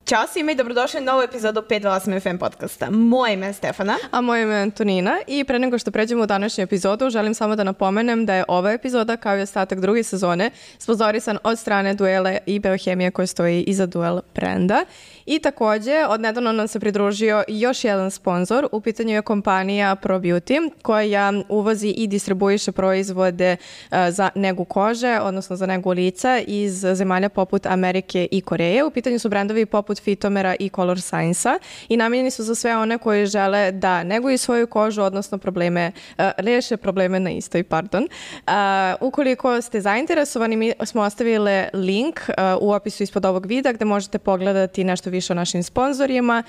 Ćao svima i dobrodošli na novu epizodu 528 FM podcasta. Moje ime je Stefana. A moje ime je Antonina i pre nego što pređemo u današnju epizodu, želim samo da napomenem da je ova epizoda, kao i ostatak druge sezone, sponzorisan od strane Duele i Biohemije koja stoji iza Duel brenda. I takođe, odnedavno nam se pridružio još jedan sponsor, u pitanju je kompanija ProBeauty, koja uvozi i distribuiše proizvode za negu kože, odnosno za negu lica iz zemalja poput Amerike i Koreje. U pitanju su brendovi poput Fitomera i Color Science-a i namijenjeni su za sve one koji žele da neguju svoju kožu, odnosno reše probleme na istoj, Ukoliko ste zainteresovani, mi smo ostavili link u opisu ispod ovog videa gde možete pogledati nešto više o našim sponzorima,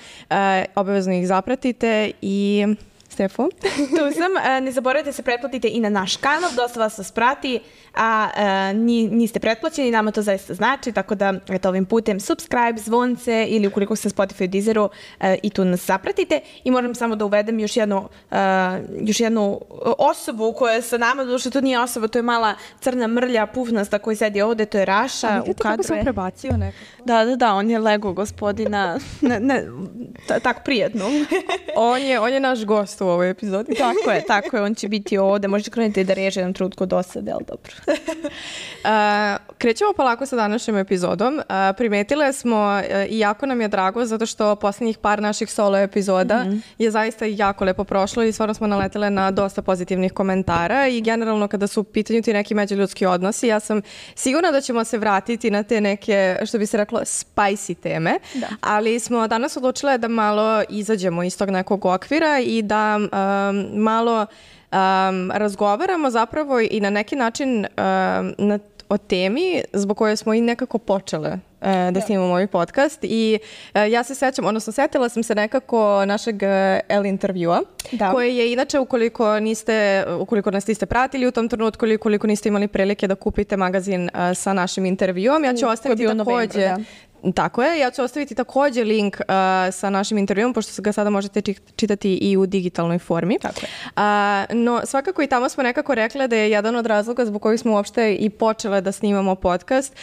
obavezno ih zapratite i... Stefo? Tu sam. Ne zaboravite se pretplatite i na naš kanal, dosta vas prati, a niste pretplaćeni, nama to zaista znači, tako da ovim putem subscribe, zvonce ili ukoliko ste na Spotify, Deezeru i tu nas zapratite. I moram samo da uvedem još jednu osobu koja je sa nama, duše to nije osoba, to je mala crna mrlja, pufnasta koji sedi ovde, to je Raša. U kadru sam prebacio nekako. Da, on je Lego gospodina, tako prijetno. On je naš gost u ovoj epizodi. Tako je, on će biti ovde. Možete krenuti da reže jedan trutko dosade, ali dobro. Krećemo polako sa današnjom epizodom. Primetile smo i jako nam je drago zato što posljednjih par naših solo epizoda je zaista jako lepo prošlo i stvarno smo naletele na dosta pozitivnih komentara i generalno kada su u pitanju ti neki međuljudski odnosi, ja sam sigurna da ćemo se vratiti na te neke, što bi se reklo, spicy teme, ali smo danas odlučile da malo izađemo iz tog nekog okvira i da malo razgovaramo zapravo i na neki način o temi zbog koje smo i nekako počele da snimamo ovaj podcast i ja se sećam, odnosno setila sam se nekako našeg L intervjua, koje je inače ukoliko nas niste pratili u tom trenutku ili ukoliko niste imali prilike da kupite magazin sa našim intervjuom, ja ću ostaviti takođe... Tako je, ja ću ostaviti također link sa našim intervjuom, pošto ga sada možete čitati i u digitalnoj formi. Tako je. No, svakako i tamo smo nekako rekle da je jedan od razloga zbog kojih smo uopšte i počele da snimamo podcast,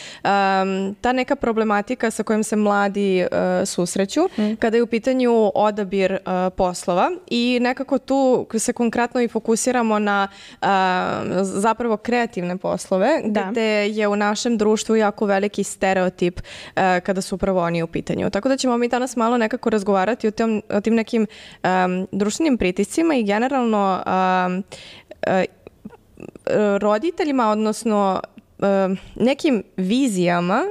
ta neka problematika sa kojom se mladi susreću, kada je u pitanju odabir poslova i nekako tu se konkretno i fokusiramo na zapravo kreativne poslove, gde je u našem društvu jako veliki stereotip kada su upravo oni u pitanju. Tako da ćemo mi danas malo nekako razgovarati o tim nekim društvenim pritiscima i generalno roditeljima, odnosno nekim vizijama,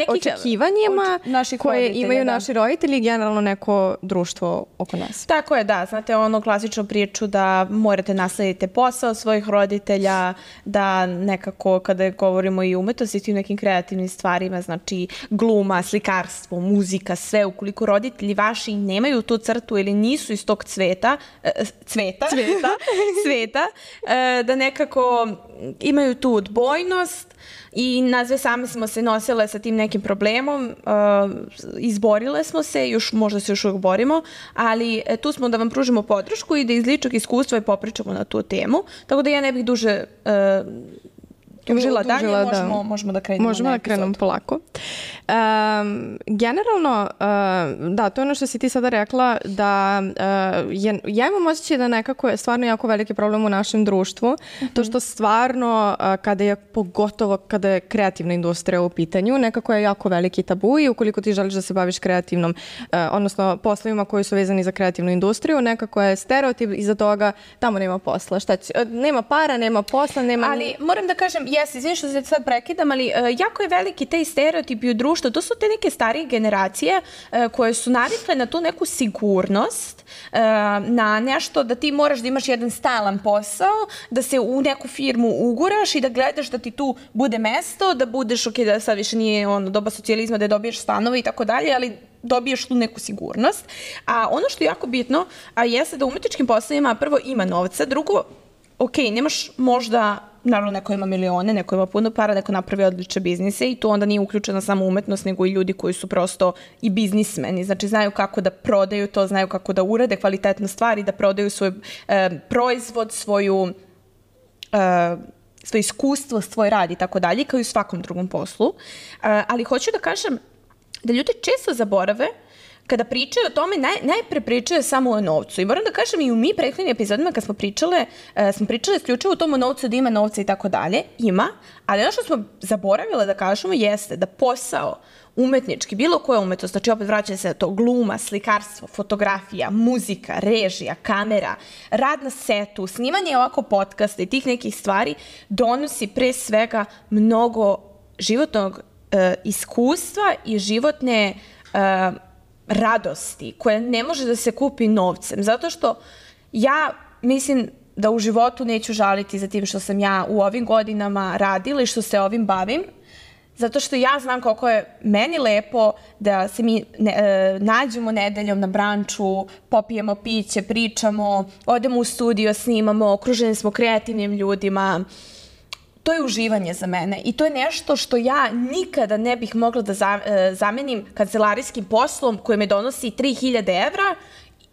očekivanjima koje imaju naši roditelji i generalno neko društvo oko nas. Tako je, znate ono klasičnu priču da morate naslediti posao svojih roditelja, da nekako kada govorimo i umetnosti i nekim kreativnim stvarima, znači gluma, slikarstvo, muzika, sve, ukoliko roditelji vaši nemaju tu crtu ili nisu iz tog cveta, da nekako imaju tu odbojnost i nazve same smo se nosile sa tim nekim problemom, izborile smo se, možda se još uvijek borimo, ali tu smo da vam pružimo podršku i da iz ličnog iskustva i popričamo na tu temu, tako da ja ne bih duže dalje, možemo da krenemo. Možemo da krenemo polako. Generalno, to je ono što si ti sada rekla, da ja imam osjećaj da nekako je stvarno jako veliki problem u našem društvu, to što stvarno, pogotovo kada je kreativna industrija u pitanju, nekako je jako veliki tabu i ukoliko ti želiš da se baviš kreativnom, odnosno poslovima koji su vezani za kreativnu industriju, nekako je stereotip iza toga, tamo nema posla, nema para, nema posla, nema... Ali moram da kažem, izvini što se sad prekidam, ali jako je veliki taj stereotipi u društvu. To su te neke starije generacije koje su navikle na tu neku sigurnost, na nešto da ti moraš da imaš jedan stalan posao, da se u neku firmu uguraš i da gledaš da ti tu bude mesto, da budeš, da sad više nije doba socijalizma da dobiješ stanove i tako dalje, ali dobiješ tu neku sigurnost. A ono što je jako bitno jeste da u umetničkim poslovima prvo ima novca, drugo, nemaš možda, naravno neko ima milione, neko ima puno para, neko napravi odlične biznise i tu onda nije uključena samo umetnost, nego i ljudi koji su prosto i biznismeni, znači znaju kako da prodaju to, znaju kako da urade kvalitetne stvari, da prodaju svoj proizvod, svoje iskustvo, svoj rad i tako dalje, kao i u svakom drugom poslu. Ali hoću da kažem da ljudi često zaborave kada pričaju o tome, najpre pričaju samo o novcu. I moram da kažem, i u mi prethodnim epizodima kad smo pričale isključivo o tom o novcu, da ima novca i tako dalje. Ima, ali ono što smo zaboravile da kažemo jeste da posao umetnički, bilo koja umetnost, znači opet vraćaju se na to, gluma, slikarstvo, fotografija, muzika, režija, kamera, rad na setu, snimanje ovako podcasta i tih nekih stvari donosi pre svega mnogo životnog iskustva i životne radosti koje ne može da se kupi novcem. Zato što ja mislim da u životu neću žaliti za tim što sam ja u ovim godinama radila i što se ovim bavim. Zato što ja znam koliko je meni lepo da se mi nađemo nedeljom na branču, popijemo piće, pričamo, odemo u studio, snimamo, okruženi smo kreativnim ljudima. To je uživanje za mene i to je nešto što ja nikada ne bih mogla da zamenim kancelarijskim poslom koji me donosi 3000 evra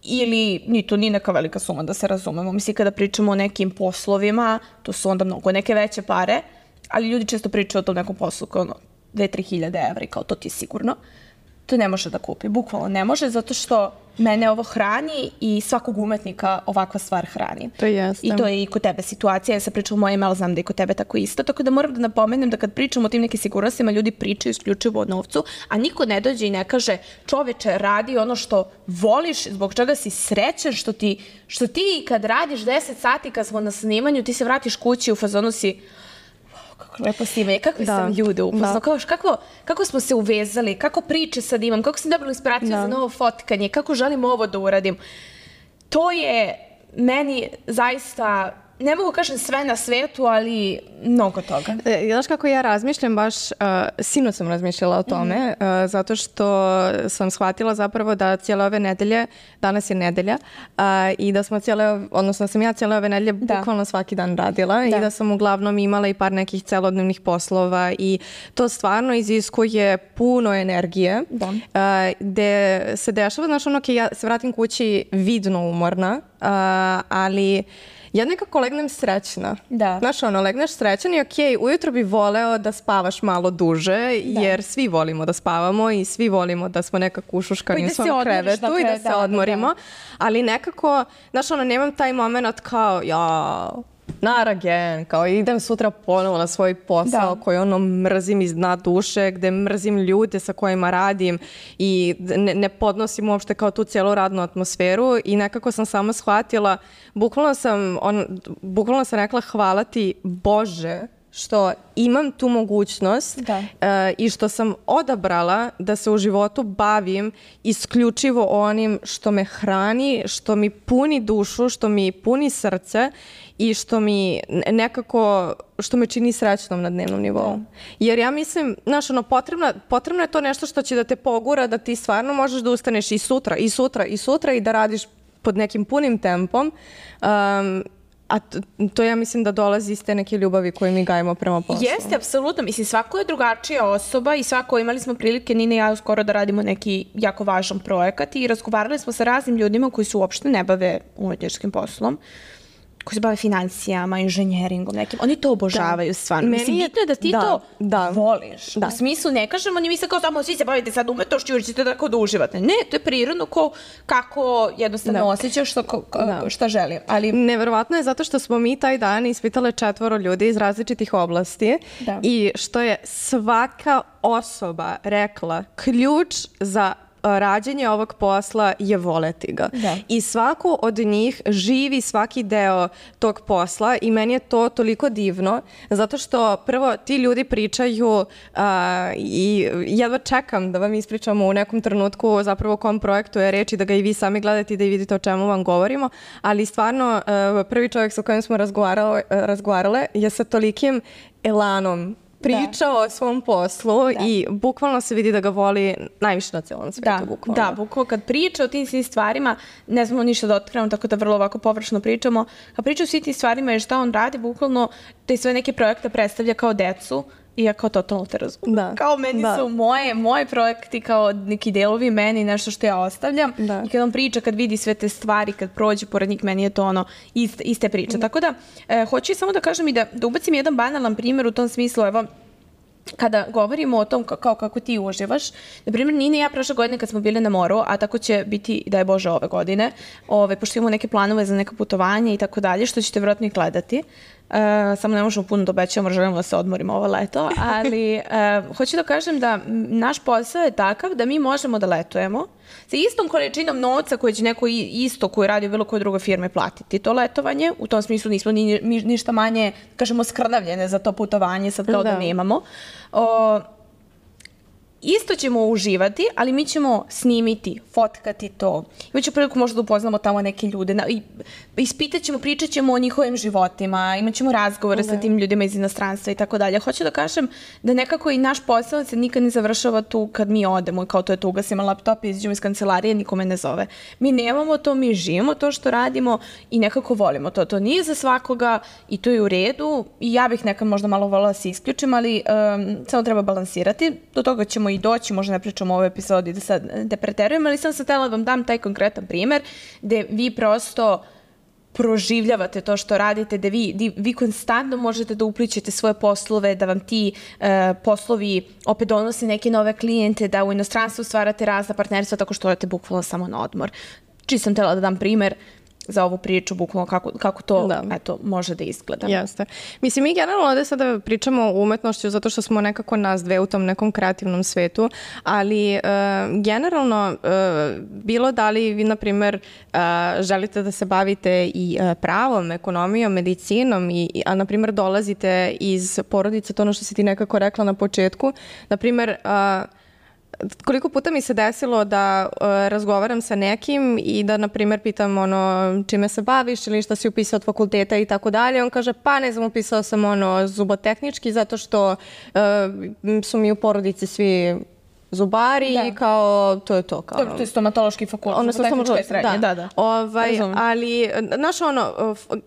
ili to nije neka velika suma, da se razumemo. Mislim, kada pričamo o nekim poslovima, to su onda mnogo neke veće pare, ali ljudi često pričaju o tom nekom poslu kao 2-3 hiljade evra i kao to ti je sigurno. To ne može da kupi, bukvalno ne može, zato što mene ovo hrani i svakog umetnika ovakva stvar hrani. To jeste. I to je i kod tebe situacija. Ja sam pričala o mojem, ali znam da je kod tebe tako isto. Tako da moram da napomenem da kad pričamo o tim nekim sigurnostima, ljudi pričaju isključivo o novcu, a niko ne dođe i ne kaže čoveče, radi ono što voliš, zbog čega si srećan, što ti kad radiš 10 sati kad smo na snimanju, ti se vratiš kući u fazonu si kako lepo snimanje, kakve sam ljude upoznao, kako smo se uvezali, kako priče sad imam, kako sam dobila inspiraciju za novo fotkanje, kako želim ovo da uradim. To je meni zaista, ne mogu kažem sve na svetu, ali mnogo toga. Znaš kako ja razmišljam, baš sinoć sam razmišljala o tome, zato što sam shvatila zapravo da cijele ove nedelje, danas je nedelja, i da smo sam ja cijele ove nedelje bukvalno svaki dan radila i da sam uglavnom imala i par nekih celodnevnih poslova i to stvarno iziskuje puno energije, gde se dešava, znaš ja se vratim kući vidno umorna, ali ja nekako legnem srećna. Znaš, legneš srećan i okej, ujutro bi voleo da spavaš malo duže, jer svi volimo da spavamo i svi volimo da smo nekako ušuškani u svom krevetu i da se odmorimo. Ali nekako, znaš, nemam taj moment kao, not again, kao idem sutra ponovo na svoj posao koji mrzim iz dna duše, gde mrzim ljude sa kojima radim i ne podnosim uopšte kao tu cijelu radnu atmosferu i nekako sam samo shvatila, bukvalno sam rekla hvala ti Bože što imam tu mogućnost i što sam odabrala da se u životu bavim isključivo onim što me hrani, što mi puni dušu, što mi puni srce i što mi nekako, što me čini srećnom na dnevnom nivou. Jer ja mislim, znaš, potrebno je to nešto što će da te pogura, da ti stvarno možeš da ustaneš i sutra, i sutra, i sutra i da radiš pod nekim punim tempom. A to ja mislim da dolazi iz te neke ljubavi koje mi gajimo prema poslu. Jeste, apsolutno. Mislim, svako je drugačija osoba i svako, imali smo prilike, Nina i ja skoro da radimo neki jako važan projekat i razgovarali smo sa raznim ljudima koji se uopšte ne bave umetničkim poslom, koji se bave financijama, inženjeringom nekim. Oni to obožavaju stvarno. Mislim, bitno je da ti to voliš. U smislu, ne kažemo, ni mi se kao samo svi se bavite sad umetnošću jer ćete tako da uživate. Ne, to je prirodno kako jednostavno osjećaš šta želim. Ali neverovatno je zato što smo mi taj dan ispitale 4 ljudi iz različitih oblasti i što je svaka osoba rekla ključ za rađenje ovog posla je voleti ga. I svako od njih živi svaki deo tog posla i meni je to toliko divno, zato što prvo ti ljudi pričaju i jedva čekam da vam ispričamo u nekom trenutku zapravo o kom projektu je reč i da ga i vi sami gledate i da i vidite o čemu vam govorimo, ali stvarno prvi čovjek sa kojim smo razgovarale je sa tolikim elanom pričao o svom poslu i bukvalno se vidi da ga voli najviše na celom svijetu. Bukvalno kad priča o tim svim stvarima, ne znamo ništa da otkrivamo, tako da vrlo ovako površno pričamo. Kad priča o svim tim stvarima i šta on radi, bukvalno te sve neke projekte predstavlja kao decu i ja kao totalno te razumem. Kao meni su moji projekti kao neki delovi meni, nešto što ja ostavljam i kad on priča, kad vidi sve te stvari, kad prođe pored njih, meni je to iste priče. Tako da, hoću samo da kažem i da ubacim jedan banalan primjer u tom smislu, evo, kada govorimo o tom kao kako ti uživaš, na primjer, Nina i ja prošle godine kad smo bili na moru, a tako će biti, da je Bože, ove godine, pošto imamo neke planove za neka putovanja i tako dalje, što ćete vjerojatno i gledati. Samo ne možemo puno da obećamo, želimo da se odmorimo ovo leto, ali hoću da kažem da naš posao je takav da mi možemo da letujemo sa istom količinom novca koje će neko isto koji radi u bilo koje druge firme platiti to letovanje. U tom smislu nismo ništa manje, kažemo, skrnavljene za to putovanje, sad kao da nemamo. Isto ćemo uživati, ali mi ćemo snimiti, fotkati to. Imaću priliku možda da upoznamo tamo neke ljude. Ispitat ćemo, pričat ćemo o njihovim životima, imat ćemo razgovore sa tim ljudima iz inostranstva i tako dalje. Hoću da kažem da nekako i naš posao se nikad ne završava tu kad mi odemo i kao to je to, ugasimo laptop i izađemo iz kancelarije, nikome ne zove. Mi nemamo to, mi živimo to što radimo i nekako volimo to. To nije za svakoga i to je u redu. I ja bih nekad možda malo voljela da se isključim, ali samo treba balansirati. Do toga ćemo i doći, možda ne pričamo u ovoj epizodi da sad ne preterujem, ali sam htjela da vam dam taj konkretan primer gde vi prosto proživljavate to što radite, da vi konstantno možete da uplićete svoje poslove, da vam ti poslovi opet donose neke nove klijente, da u inostranstvu stvarate razna partnerstva tako što odete bukvalno samo na odmor. Čisto sam htjela da dam primer za ovu priču, bukvalno kako to eto, može da izgleda. Jeste. Mislim, mi generalno ovdje sada pričamo o umetnošću zato što smo nekako nas dve u tom nekom kreativnom svetu, ali generalno bilo da li vi, na primjer, želite da se bavite i pravom, ekonomijom, medicinom, a na primjer dolazite iz porodice, to ono što si ti nekako rekla na početku, na primjer, koliko puta mi se desilo da razgovaram sa nekim i da, na primjer, pitam čime se baviš ili šta si upisao od fakulteta i tako dalje. On kaže, pa ne znam, upisao sam zubotehnički zato što su mi u porodici svi zubari i kao, to je to. Kao, to je stomatološki fakultet, zubotehnička je srednje, da. Ali, znaš,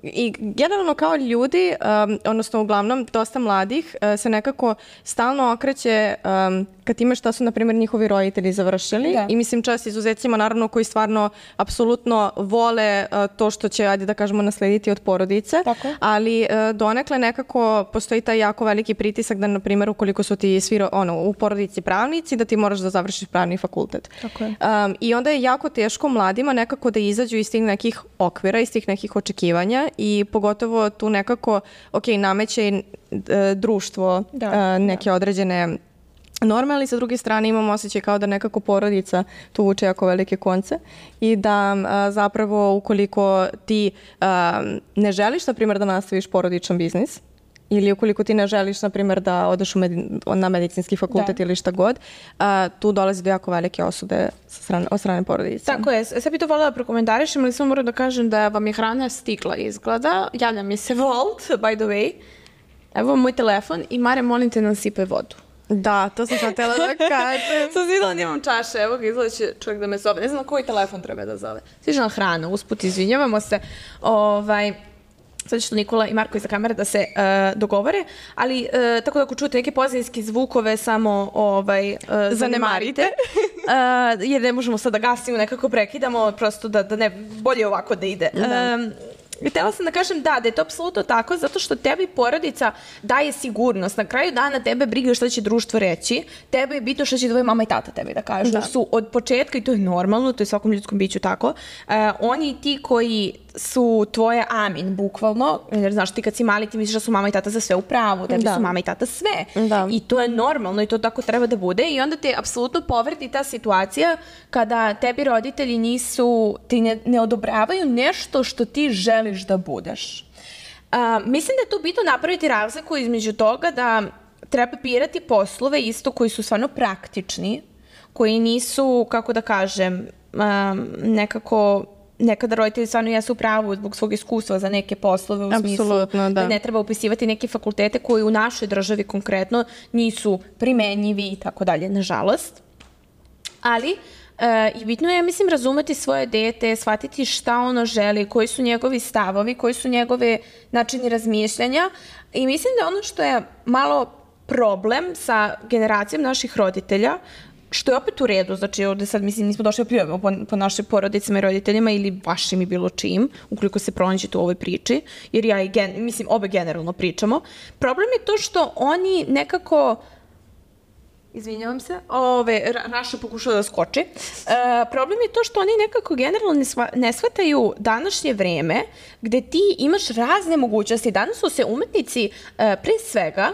i generalno kao ljudi, odnosno uglavnom dosta mladih, se nekako stalno okreće kad time šta su, na primjer, njihovi roditelji završili. I mislim, čast izuzecima, naravno, koji stvarno apsolutno vole to što će, ajde da kažemo, naslediti od porodice. Ali donekle nekako postoji taj jako veliki pritisak da, na primjer, ukoliko su ti svi u porodici pravnici, da ti moraš da završiš pravni fakultet. I onda je jako teško mladima nekako da izađu iz tih nekih okvira, iz tih nekih očekivanja i pogotovo tu nekako, nameće i društvo neke određene norme, ali sa druge strane imamo osjećaj kao da nekako porodica tu vuče jako velike konce i da zapravo ukoliko ti ne želiš, na primjer, da nastaviš porodičan biznis, ili ukoliko ti ne želiš, na primjer, da odeš na medicinski fakultet ili šta god, tu dolazi do jako velike osude od strane porodice. Tako je. Sad bi to voljela da prokomentarišem, ali samo moram da kažem da vam je hrana stigla izgleda. Javlja mi se Volt, by the way. Evo moj telefon i Mare, molim te, nasipaj vodu. Da, to sam sad htjela da kažem. Sam vidjela da imam čaše, evo ga, izgleda će čovjek da me zove. Ne znam na koji telefon treba da zove. Sviđa hrana, usput izvinjavamo se. Sad što Nikola i Marko iza kamere da se dogovore, ali tako da ako čujete neke pozadinske zvukove samo zanemarite, jer ne možemo sad da gasimo, nekako prekidamo, prosto da ne, bolje ovako da ide. Htjela sam da kažem da je to apsolutno tako, zato što tebi porodica daje sigurnost. Na kraju dana tebe briga šta će društvo reći, tebe je bitno šta će tvoje mama i tata tebi da kažu. Da su od početka, i to je normalno, to je svakom ljudskom biću tako, oni ti koji su tvoje amin, bukvalno, jer znaš ti kad si mali ti misliš da su mama i tata za sve u pravu, tebi su mama i tata sve. I to je normalno i to tako treba da bude i onda te apsolutno povredi ta situacija kada tebi roditelji ti ne odobravaju nešto što ti želiš da budeš. Mislim da je tu bitno napraviti razliku između toga da treba birati poslove isto koji su stvarno praktični, koji nisu, kako da kažem, nekada roditelji stvarno jesu u pravu zbog svog iskustva za neke poslove u smislu da ne treba upisivati neke fakultete koji u našoj državi konkretno nisu primenjivi i tako dalje, nažalost. Ali i bitno je, mislim, razumeti svoje dete, shvatiti šta ono želi, koji su njegovi stavovi, koji su njegove načini razmišljanja i mislim da ono što je malo problem sa generacijom naših roditelja, što je opet u redu, znači ovdje sad mislim nismo došli da pljujemo po našim porodicama i roditeljima ili vašim i bilo čim, ukoliko se pronađete u ovoj priči, jer mislim obe generalno pričamo. Problem je to što oni nekako Izvinjavam se. Raša pokušao da skoči. Problem je to što oni nekako generalno ne shvataju današnje vreme gde ti imaš razne mogućnosti. Danas su se umetnici pre svega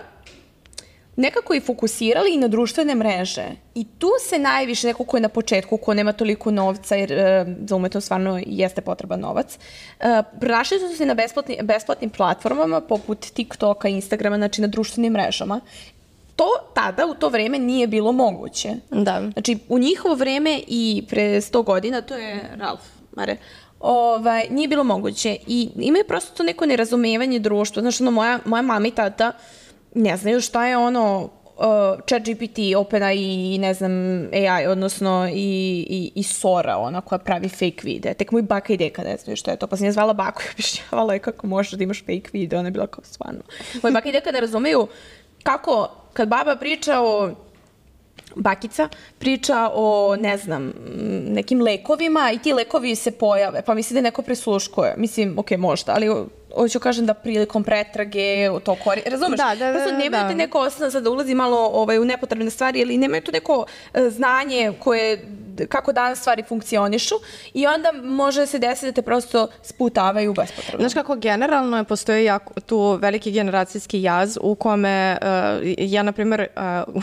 nekako i fokusirali i na društvene mreže. I tu se najviše, neko ko je na početku, ko nema toliko novca, jer za umetnost stvarno jeste potreban novac, pronašli su se na besplatnim platformama poput TikToka, Instagrama, znači na društvenim mrežama. To tada, u to vreme, nije bilo moguće. Da. Znači, u njihovo vreme i pre 100 godina, to je Ralf Mare, nije bilo moguće. I imaju prosto to neko nerazumevanje društva. Znači, moja mama i tata ne znaju šta je ChatGPT, OpenAI i ne znam, AI, odnosno i Sora, koja pravi fake videa. Tek moj baka i deka ne znaju šta je to. Pa sam je zvala baku i objašnjavala je kako možeš da imaš fake video. Ona je bila kao stvarno. Moj baka i deka ne razumeju kako, kad baba priča bakica priča o, ne znam, nekim lekovima i ti lekovi se pojave, pa misli da neko prisluškuje. Mislim, ok, možda, ali hoću kažem da prilikom pretrage to razumeš? Prosto nemaju te neko osnovno, sad da ulazi malo u nepotrebne stvari, ili nemaju to neko znanje kako danas stvari funkcionišu i onda može se desiti da te prosto sputavaju bespotrebno. Znaš kako generalno postoji tu veliki generacijski jaz u kome ja, na primjer,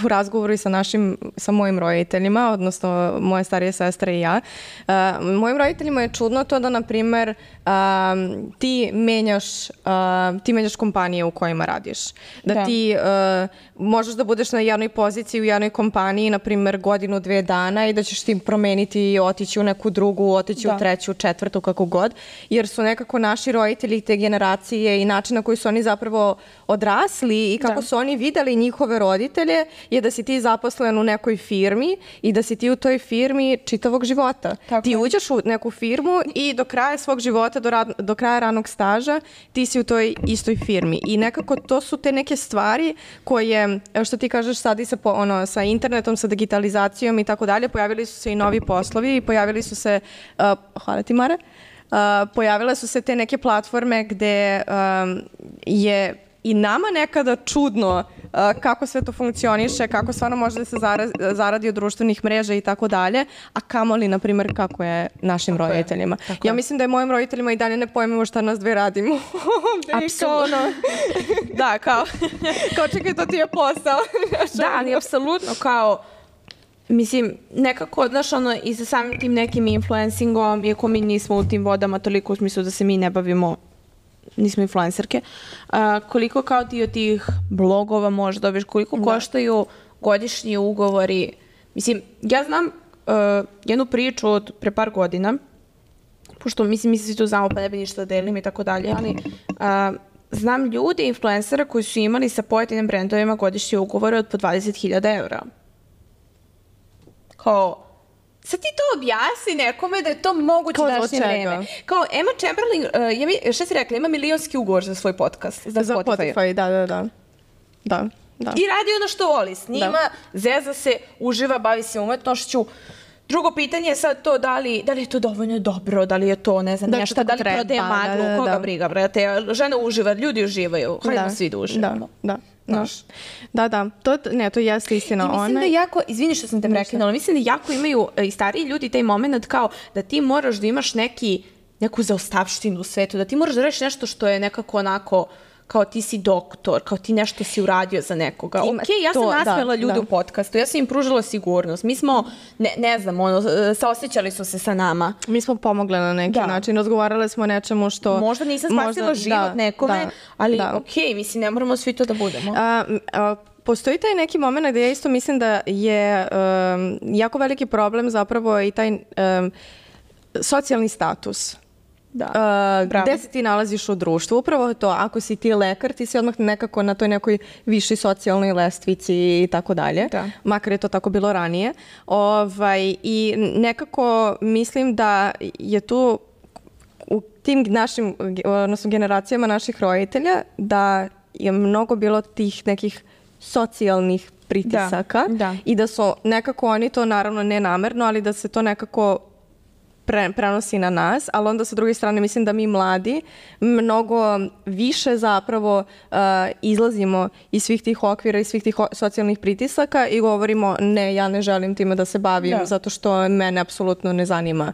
u razgovoru sa mojim roditeljima, odnosno moje starije sestre i ja, mojim roditeljima je čudno to da, na primjer, ti menjaš kompanije u kojima radiš. Da ti možeš da budeš na jednoj poziciji u jednoj kompaniji, na primjer, 1-2 dana i da ćeš ti promeniti i otići u neku drugu, otići u treću, četvrtu, kako god. Jer su nekako naši roditelji te generacije i način na koji su oni zapravo odrasli i kako su oni videli njihove roditelje je da si ti zaposlen u nekoj firmi i da si ti u toj firmi čitavog života. Ti uđeš u neku firmu i do kraja svog života, do kraja ranog staža, ti si u toj istoj firmi. I nekako to su te neke stvari koje, što ti kažeš sad i sa internetom, sa digitalizacijom i tako dalje, pojavili su se i novi poslovi i pojavili su se, hvala ti Mare, pojavile su se te neke platforme gde je i nama nekada čudno kako sve to funkcioniše, kako stvarno može da se zaradi od društvenih mreža i tako dalje, a kamoli, na primjer, kako je našim roditeljima. Ja mislim da je mojim roditeljima i dalje ne pojmemo šta nas dve radimo. Apsolutno. Da, kao čekaj, to ti je posao. Da, ali apsolutno kao, mislim, nekako, znaš, i sa samim tim nekim influencingom, iako mi nismo u tim vodama toliko u smislu da se mi ne bavimo, nismo influencerke, koliko kao ti od tih blogova možeš dobiješ, koliko koštaju godišnji ugovori. Mislim, ja znam jednu priču od pre par godina, pošto mi se tu znamo pa ne bi ništa da delim i tako dalje, ali znam ljude, influencera koji su imali sa pojedinim brendovima godišnje ugovore od po 20.000 evra. Kao, sad ti to objasni nekome da je to moguće u današnje vreme. Kao Emma Chamberlain, šta si rekla, ima milionski ugovor za svoj podcast. Za Spotify, da. I radi ono što voli, snima, zeza se, uživa, bavi se umetnošću. Drugo pitanje je sad to da li je to dovoljno dobro, da li je to, ne znam, nešto, da li prodaje maglu, koga briga, brate. Žena uživa, ljudi uživaju, hajdemo svi da uživamo. Da. To jeste istina. I mislim da jako, izvini što sam te prekinula, mislim da jako imaju i stariji ljudi taj moment kao da ti moraš da imaš neku zaostavštinu u svetu, da ti moraš da rešiš nešto što je nekako onako kao ti si doktor, kao ti nešto si uradio za nekoga. Ja sam nasmela ljude u podcastu, ja sam im pružila sigurnost. Mi smo, ne znam, saosećali su se sa nama. Mi smo pomogle na neki način, razgovarale smo o nečemu što... Možda nisam spasila život nekome, ali mislim, ne moramo svi to da budemo. Postoji taj neki moment gde ja isto mislim da je jako veliki problem zapravo i taj socijalni status. Gde se ti nalaziš u društvu, upravo to, ako si ti lekar, ti si odmah nekako na toj nekoj višoj socijalnoj lestvici i tako dalje, makar je to tako bilo ranije. I nekako mislim da je tu u tim našim, odnosno generacijama naših roditelja, da je mnogo bilo tih nekih socijalnih pritisaka i da su nekako oni to, naravno ne namerno, ali da se to nekako prenosi na nas, ali onda sa druge strane mislim da mi mladi mnogo više zapravo izlazimo iz svih tih okvira i svih tih socijalnih pritisaka i govorimo ne, ja ne želim time da se bavim zato što mene apsolutno ne zanima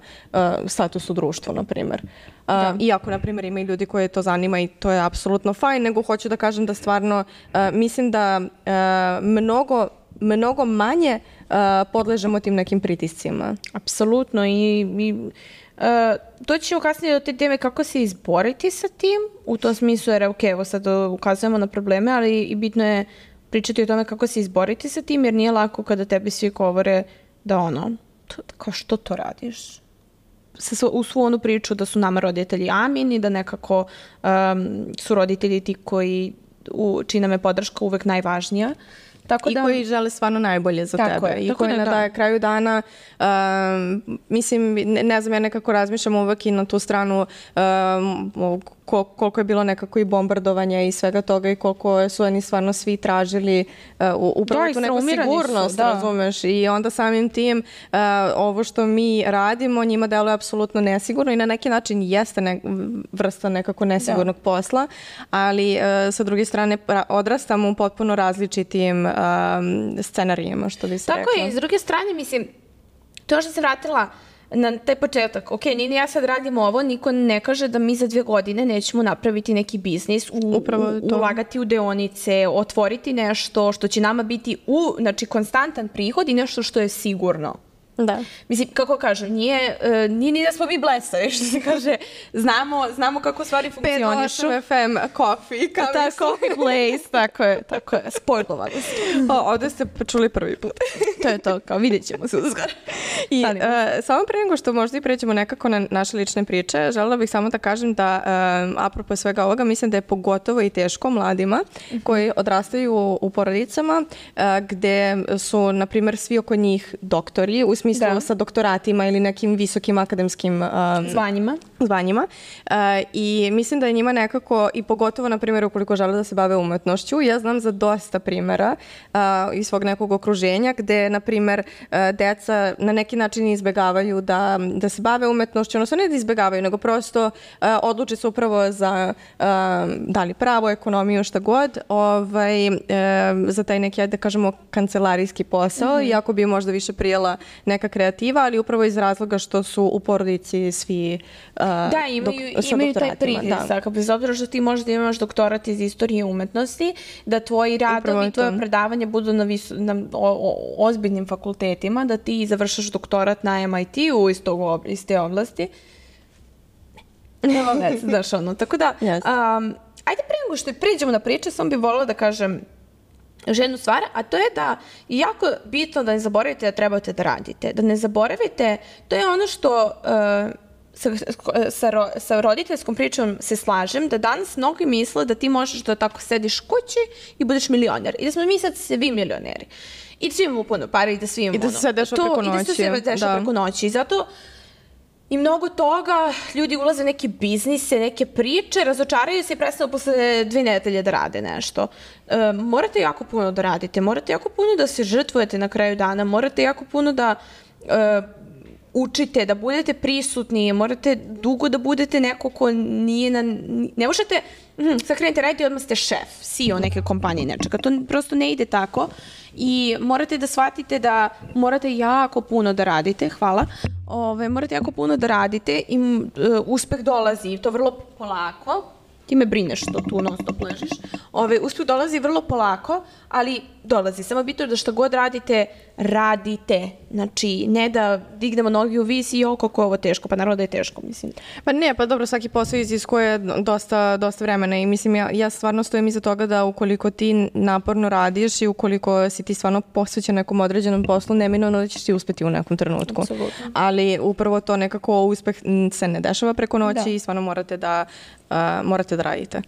status u društvu, na primjer. Iako, na primjer, ima i ljudi koje to zanima i to je apsolutno fajn, nego hoću da kažem da stvarno mislim da mnogo manje podležemo tim nekim pritiscima. Apsolutno i doći ćemo kasnije do te teme kako se izboriti sa tim, u tom smislu jer evo sad ukazujemo na probleme, ali i bitno je pričati o tome kako se izboriti sa tim, jer nije lako kada tebi svi govore da kao što to radiš? U svu onu priču da su nama roditelji amin i da nekako su roditelji ti čiji nam je podrška uvek najvažnija. I koji žele stvarno najbolje za tebe. I koji na kraju dana, mislim, ne znam, ja nekako razmišljam uvek i na tu stranu koliko je bilo nekako i bombardovanja i svega toga i koliko su oni stvarno svi tražili upravo tu neku sigurnost, razumeš? I onda samim tim ovo što mi radimo njima deluje apsolutno nesigurno i na neki način jeste vrsta nekako nesigurnog posla, ali sa druge strane odrastamo u potpuno različitim scenarijima, što bi se rekla. Tako je, i s druge strane, mislim, to što se vratila na taj početak, ok, ni ja sad radim ovo, niko ne kaže da mi za 2 godine nećemo napraviti neki biznis, ulagati u deonice, otvoriti nešto što će nama biti znači konstantan prihod i nešto što je sigurno. Da. Mislim, kako kažem, nije ni da smo mi blesavi, što se kaže, znamo kako stvari funkcionišu. 5 FM, coffee, coffee place, tako je, spojlovanost. Ovdje ste čuli prvi put. To je to, kao vidjet ćemo se uskoro. I samo pre nego što možda i pređemo nekako na naše lične priče, želela bih samo da kažem da, apropo svega ovoga, mislim da je pogotovo i teško mladima koji odrastaju u porodicama gde su, na primjer, svi oko njih doktori, u smislu sa doktoratima ili nekim visokim akademskim zvanjima. I mislim da je njima nekako, i pogotovo, na primjer, ukoliko žele da se bave umetnošću, ja znam za dosta primjera iz svog nekog okruženja gde, na primjer, deca na neki način izbegavaju da se bave umetnošću, odnosno ne da izbegavaju, nego prosto odluče se upravo za da li pravo, ekonomiju, šta god, za taj neki, da kažemo, kancelarijski posao, iako bi možda više prijela neka kreativa, ali upravo iz razloga što su u porodici svi imaju taj pritisak. Bez obzira što ti možda imaš doktorat iz istorije umetnosti, da tvoji radovi, tvoje predavanja budu na ozbiljnim fakultetima, da ti završaš doktorat na MIT-u iz te oblasti. Tako da, ajde pre nego što priđemo na priče, sam bih voljela da kažem ženu stvar, a to je da je jako bitno da ne zaboravite da trebate da radite. Da ne zaboravite, to je ono što sa roditeljskom pričom se slažem, da danas mnogi misle da ti možeš da tako sediš kući i budeš milioner. I da smo mi sad svi milioneri. I da svi imamo puno para i da svi imamo I da se sve dešava preko noći. I da se sve dešava preko noći. I zato i mnogo toga, ljudi ulaze u neke biznise, neke priče, razočaraju se i prestanu posle 2 nedelje da rade nešto. Morate jako puno da radite, morate jako puno da se žrtvujete na kraju dana, morate jako puno da učite, da budete prisutni, morate dugo da budete neko ko nije ne možete, sad krenete raditi i odmah ste šef, CEO neke kompanije, nečega. To prosto ne ide tako i morate da shvatite da morate jako puno da radite, morate jako puno da radite i uspeh dolazi i to vrlo polako. Ti me brineš što tu non stop ležiš. Uspeh dolazi vrlo polako, ali dolazi. Samo bitno da šta god radite. Znači, ne da dignemo nogi u vis i kako je ovo teško. Pa naravno da je teško, mislim. Pa ne, pa dobro, svaki posao iziskuje dosta vremena i mislim, ja stvarno stojim iza toga da ukoliko ti naporno radiš i ukoliko si ti stvarno posvećen nekom određenom poslu, neminovno da ćeš ti uspeti u nekom trenutku. Apsolutno. Ali upravo to nekako uspeh se ne dešava preko noći i stvarno morate da radite.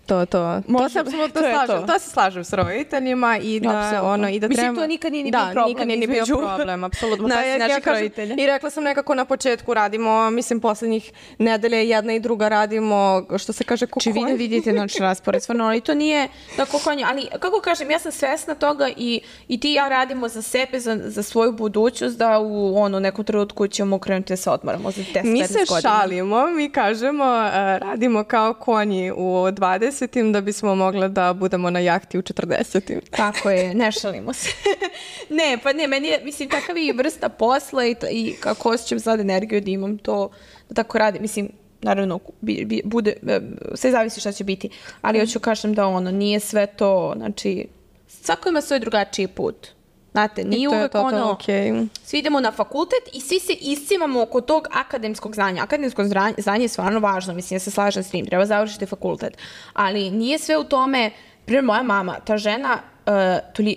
To se apsolutno slažem. To se slažem s roditeljima i da i da mislim, to nikad nije ni bio problem. Nikad nije ni bio problem, apsolutno. Naših roditelja. I rekla sam nekako na početku radimo, mislim, poslednjih nedelje jedna i druga radimo, što se kaže, Či vi da vidite naš raspored, stvarno, ali to nije tako konje. Ali, kako kažem, ja sam svesna toga i ti i ja radimo za sebe, za svoju budućnost, da u nekom trenutku ćemo krenuti da se odmaramo za 10-15 godina. Mi se šalimo, mi kažemo, radimo kao konji u 20 da bismo mogli da budemo na jahti u 40. Tako je, ne šalimo se. Ne, meni je, mislim, takav i vrsta posla i kako osjećam sad energiju da imam to, da tako radim, mislim, naravno, bude, sve zavisi šta će biti, ali hoću kažem da nije sve to, znači, svako ima svoj drugačiji put. Znate, nije uvek okay. Svi idemo na fakultet i svi se iscimamo oko tog akademskog znanja. Akademsko znanje je stvarno važno, mislim, ja se slažem s tim, treba završiti fakultet. Ali nije sve u tome, primjer moja mama, ta žena,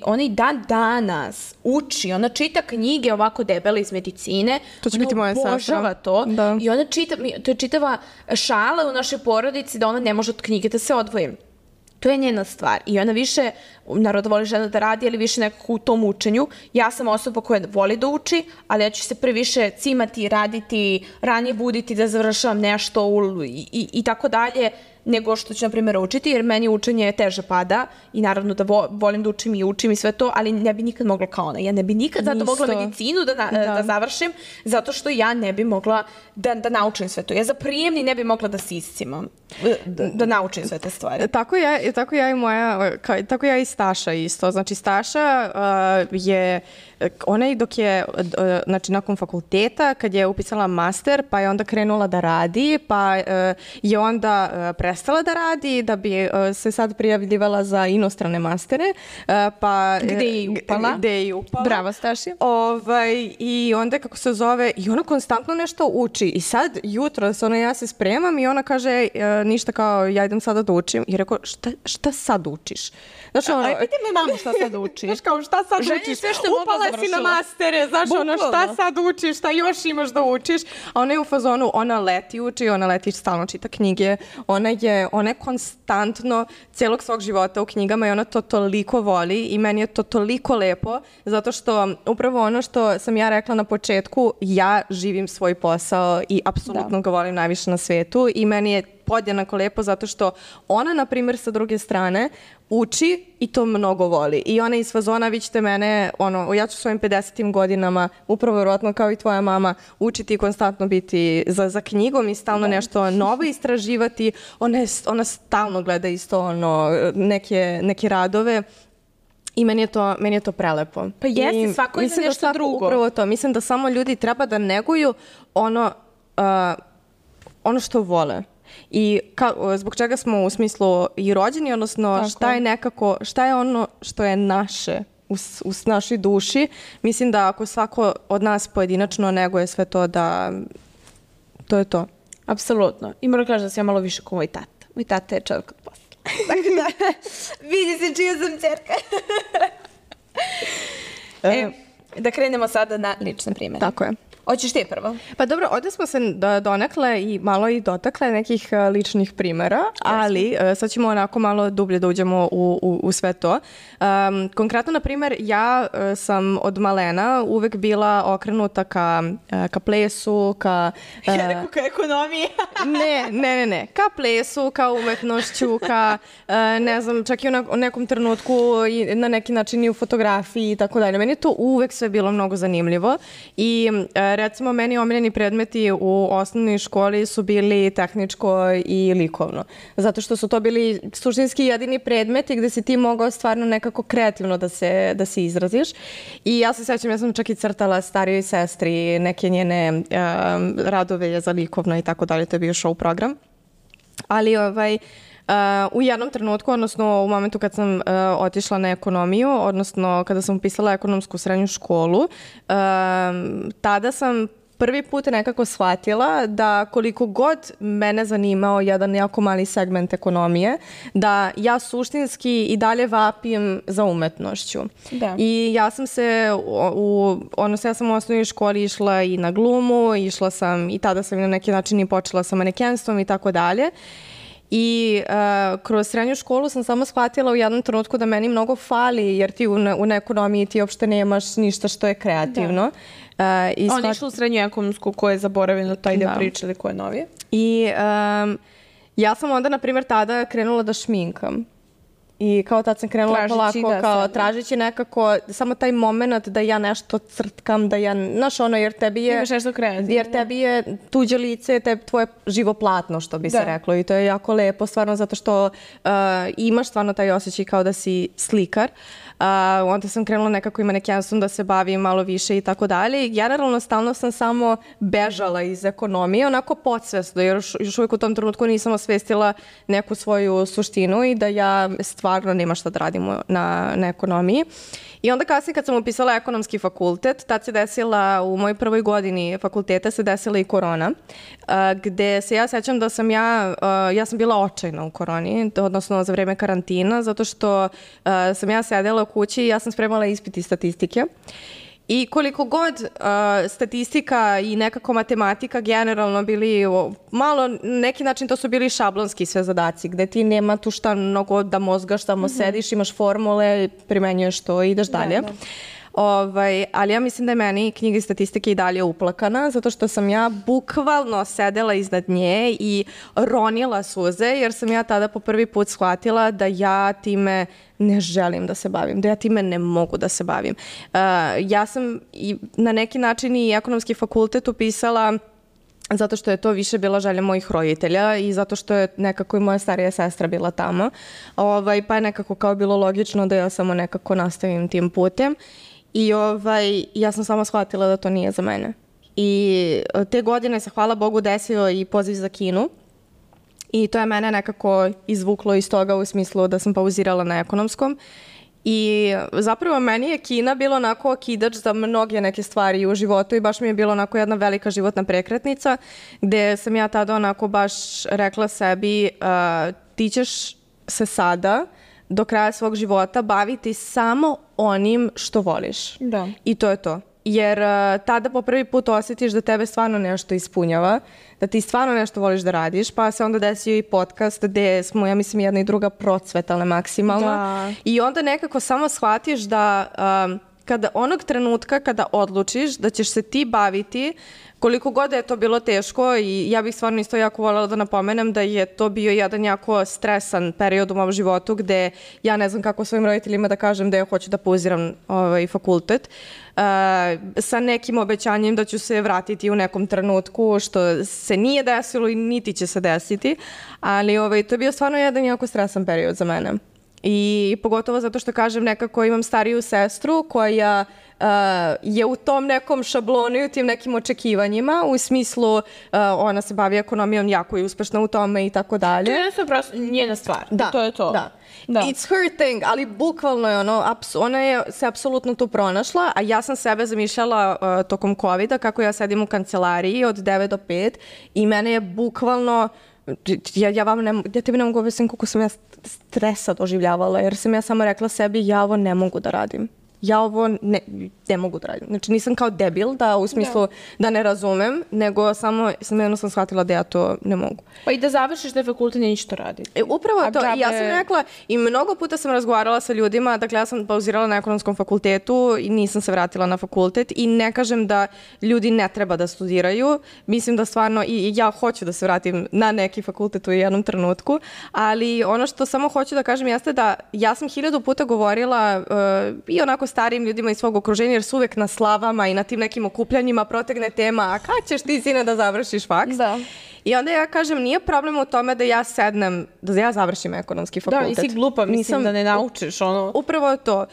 ona i dan danas uči, ona čita knjige ovako debele iz medicine, to će biti moja obožava to i ona čita, to je čitava šala u našoj porodici da ona ne može od knjige da se odvoji. To je njena stvar i ona više, naravno voli žena da radi, ali više nekako u tom učenju. Ja sam osoba koja voli da uči, ali ja ću se previše cimati, raditi, ranije buditi da završavam nešto i tako dalje, nego što ću, na primjer, učiti, jer meni učenje teže pada i naravno da volim da učim i sve to, ali ne bi nikad mogla kao ona. Ja ne bi nikad zato mogla medicinu da završim, zato što ja ne bi mogla da naučim sve to. Ja za prijemni ne bi mogla da se iscimam, da naučim sve te stvari. Tako ja i Staša isto. Znači, Staša je, ona i dok je, znači, nakon fakulteta, kad je upisala master, pa je onda krenula da radi, pa je onda prestala da radi, da bi se sad prijavljivala za inostrane mastere, pa... Gde je i upala. Bravo, Staši. I onda, kako se zove, i ona konstantno nešto uči. I sad, jutro, ja se spremam i ona kaže, ništa kao, ja idem sada da učim. I rekao, šta sad učiš? Znači, piti me mamu šta sad učiš. Kao, šta sad učiš? Upala si na mastere, znaš, šta sad učiš, šta još imaš da učiš? A ona je u fazonu, ona leti uči, ona leti stalno čita knjige, ona je konstantno celog svog života u knjigama i ona to toliko voli i meni je to toliko lepo, zato što upravo ono što sam ja rekla na početku, ja živim svoj posao i apsolutno ga volim najviše na svetu i meni je podjednako lepo zato što ona, na primjer, sa druge strane uči i to mnogo voli. I ona iz fazona, vi ćete mene, ja ću svojim 50. godinama, upravo vjerojatno kao i tvoja mama, učiti i konstantno biti za knjigom i stalno nešto novo istraživati. Ona stalno gleda isto neke radove. I meni je to prelepo. Pa jeste, svako je za nešto drugo. Upravo to. Mislim da samo ljudi treba da neguju ono što vole. I zbog čega smo u smislu i rođeni, odnosno šta je ono što je naše u našoj duši. Mislim da ako svako od nas pojedinačno neguje sve to, da to je to. Apsolutno. I moram kažem da sam ja malo više kao moj tata. Moj tata je čovjek od posla. Tako da, vidi se čija sam ćerka. Da krenemo sada na lične primjere. Tako je. Hoćeš ti prvo? Pa dobro, ovdje smo se donekle i malo i dotakle nekih ličnih primjera, ali sad ćemo onako malo dublje da uđemo u sve to. Konkretno, na primjer, ja sam od malena uvek bila okrenuta ka plesu, Ja rekao ka ekonomiji. Ne. Ka plesu, ka umetnošću, ne znam, čak i u nekom trenutku i na neki način i u fotografiji i tako dalje. Meni je to uvek sve bilo mnogo zanimljivo i recimo, meni omiljeni predmeti u osnovnoj školi su bili tehničko i likovno. Zato što su to bili suštinski jedini predmeti gde si ti mogao stvarno nekako kreativno da se izraziš. I ja se sećam, ja sam čak i crtala starijoj sestri neke njene radove za likovno i tako dalje. To je bio show program. Ali u jednom trenutku, odnosno u momentu kad sam otišla na ekonomiju, odnosno kada sam upisala ekonomsku srednju školu, tada sam prvi put nekako shvatila da koliko god mene zanimao jedan jako mali segment ekonomije, da ja suštinski i dalje vapim za umetnošću. Da. I ja sam ja sam u osnovnoj školi išla i na glumu, išla sam i tada sam na neki način i počela sa manekenstvom i tako dalje. I kroz srednju školu sam samo shvatila u jednom trenutku da meni mnogo fali, jer ti u ekonomiji ti uopšte nemaš ništa što je kreativno. On je išla u srednju ekonomsku, ko je zaboravljeno taj deo priče ili ko je novije. I ja sam onda, na primjer, tada krenula da šminkam. I kao tad sam krenula polako, tražići nekako samo taj moment da ja nešto crtkam, da ja, znaš ono, jer tebi je... Imaš nešto kreativno. Jer tebi je tuđe lice, tvoje živoplatno, što bi se reklo. I to je jako lepo, stvarno, zato što imaš stvarno taj osjećaj kao da si slikar. Onda sam krenula nekako i manekenstvom da se bavim malo više i tako dalje. I generalno stalno sam samo bežala iz ekonomije, onako podsvesno, jer još uvijek u tom trenutku nisam osvestila neku svoju suštinu i da ja stvarno nema šta da radimo na ekonomiji. I onda kasnije kad sam upisala ekonomski fakultet, tad se desila, u mojoj prvoj godini fakulteta se desila i korona, gde se ja sećam da sam ja sam bila očajna u koroni, odnosno za vreme karantina, zato što sam ja sedela u kući i ja sam spremala ispit iz statistike. I koliko god statistika i nekako matematika generalno bili malo, neki način to su bili šablonski sve zadaci, gde ti nema tu šta mnogo da mozgaš, tamo sediš, imaš formule, primenjuješ to i ideš dalje. Ali ja mislim da je meni knjiga iz statistike i dalje uplakana, zato što sam ja bukvalno sedela iznad nje i ronila suze, jer sam ja tada po prvi put shvatila da ja time ne želim da se bavim, da ja time ne mogu da se bavim. Ja sam na neki način i ekonomski fakultet upisala zato što je to više bila želja mojih roditelja i zato što je nekako i moja starija sestra bila tamo. Pa je nekako kao bilo logično da ja samo nekako nastavim tim putem. I ja sam samo shvatila da to nije za mene. I te godine se, hvala Bogu, desio i poziv za Kinu. I to je mene nekako izvuklo iz toga u smislu da sam pauzirala na ekonomskom. I zapravo meni je Kina bilo onako okidač za mnoge neke stvari u životu i baš mi je bilo onako jedna velika životna prekretnica gde sam ja tada onako baš rekla sebi ti ćeš se sada do kraja svog života baviti samo onim što voliš. Da. I to je to. Jer tada po prvi put osjetiš da tebe stvarno nešto ispunjava, da ti stvarno nešto voliš da radiš, pa se onda desio i podcast gde smo, ja mislim, jedna i druga procvetale maksimalno. Da. I onda nekako samo shvatiš da kada onog trenutka kada odlučiš da ćeš se ti baviti, koliko god je to bilo teško, i ja bih stvarno isto jako voljela da napomenem da je to bio jedan jako stresan period u mom životu gde ja ne znam kako svojim roditeljima da kažem da ja hoću da pauziram fakultet, sa nekim obećanjem da ću se vratiti u nekom trenutku, što se nije desilo i niti će se desiti, ali to je bio stvarno jedan jako stresan period za mene. I pogotovo zato što, kažem, nekako imam stariju sestru koja je u tom nekom šablonu i u tim nekim očekivanjima, u smislu ona se bavi ekonomijom, jako je uspešna u tome i tako dalje. To je prosto njena stvar. Da, to je to. Da. It's her thing, ali bukvalno je ona je se apsolutno tu pronašla, a ja sam sebe zamišljala tokom COVID-a kako ja sedim u kancelariji od 9 do 5 i mene je bukvalno ja tebi ne mogu objasniti koliko sam ja stresa doživljavala, jer sam ja samo rekla sebi ja ovo ne mogu da radim. Ja ovo ne mogu da radim. Znači nisam kao debil da u smislu da ne razumem, nego samo sam jednostavno shvatila da ja to ne mogu. Pa i da završiš da je fakultet neće to raditi. Upravo to. I ja sam rekla i mnogo puta sam razgovarala sa ljudima, dakle ja sam pauzirala na ekonomskom fakultetu i nisam se vratila na fakultet i ne kažem da ljudi ne treba da studiraju. Mislim da stvarno i ja hoću da se vratim na neki fakultet u jednom trenutku, ali ono što samo hoću da kažem jeste da ja sam 1000 puta govorila i onako starijim ljudima iz svog okruženja, jer su uvek na slavama i na tim nekim okupljanjima protegne tema, a kad ćeš ti, sine, da završiš faks? Da. I onda ja kažem, nije problem u tome da ja sednem, da ja završim ekonomski fakultet. Da, nisi glupa, mislim da ne naučiš ono. Upravo to.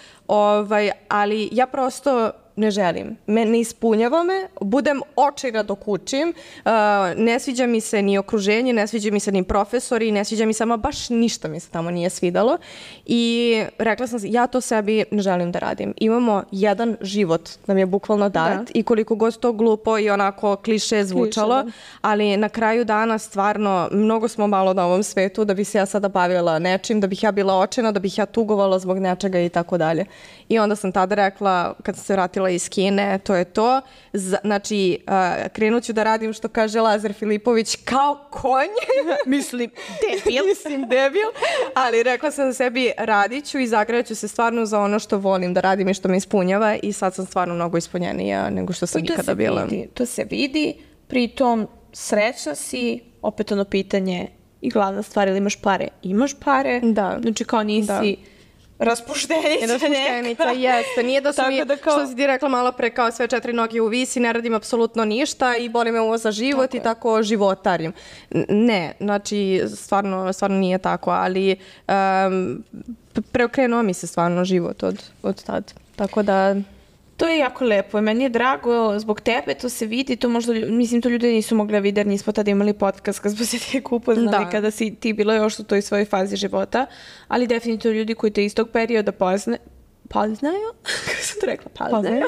Ali ja prosto ne želim. Ne ispunjava me, budem očajna dok učim, ne sviđa mi se ni okruženje, ne sviđa mi se ni profesori, ne sviđa mi se, ama baš ništa mi se tamo nije svidalo. I rekla sam, ja to sebi ne želim da radim. Imamo jedan život, nam je bukvalno dat i koliko god to glupo i onako kliše zvučalo, ali na kraju dana stvarno mnogo smo malo na ovom svetu da bi se ja sada bavila nečim, da bih ja bila očajna, da bih ja tugovala zbog nečega i tako dalje. I onda sam tada rekla, kad sam se vratila vratila iz Kine, to je to. Znači, krenut ću da radim što kaže Lazar Filipović kao konj. Mislim, debil. Ali rekla sam sebi, radit ću i zagredat ću se stvarno za ono što volim da radim i što me ispunjava i sad sam stvarno mnogo ispunjenija nego što sam ikada bila. To se vidi, pritom srećna si, opet ono pitanje i glavna stvar, ili imaš pare? Imaš pare. Da. Znači kao nisi raspuštenica jeste. Nije da su mi, što si ti rekla malo pre, kao sve 4 noge u visi, ne radim apsolutno ništa i boli me ovo za život tako i tako životarim. Ne, znači stvarno nije tako, ali preokrenuo mi se stvarno život od tad. Tako da... To je jako lepo. Meni je drago zbog tebe, to se vidi, to možda, mislim, to ljudi nisu mogli vidjeti, jer nismo tada imali podcast kad smo se tek upoznali, kada si ti bila još u toj svojoj fazi života, ali definitivno ljudi koji te iz tog perioda poznaju? Kako sam to rekla? Poznaju?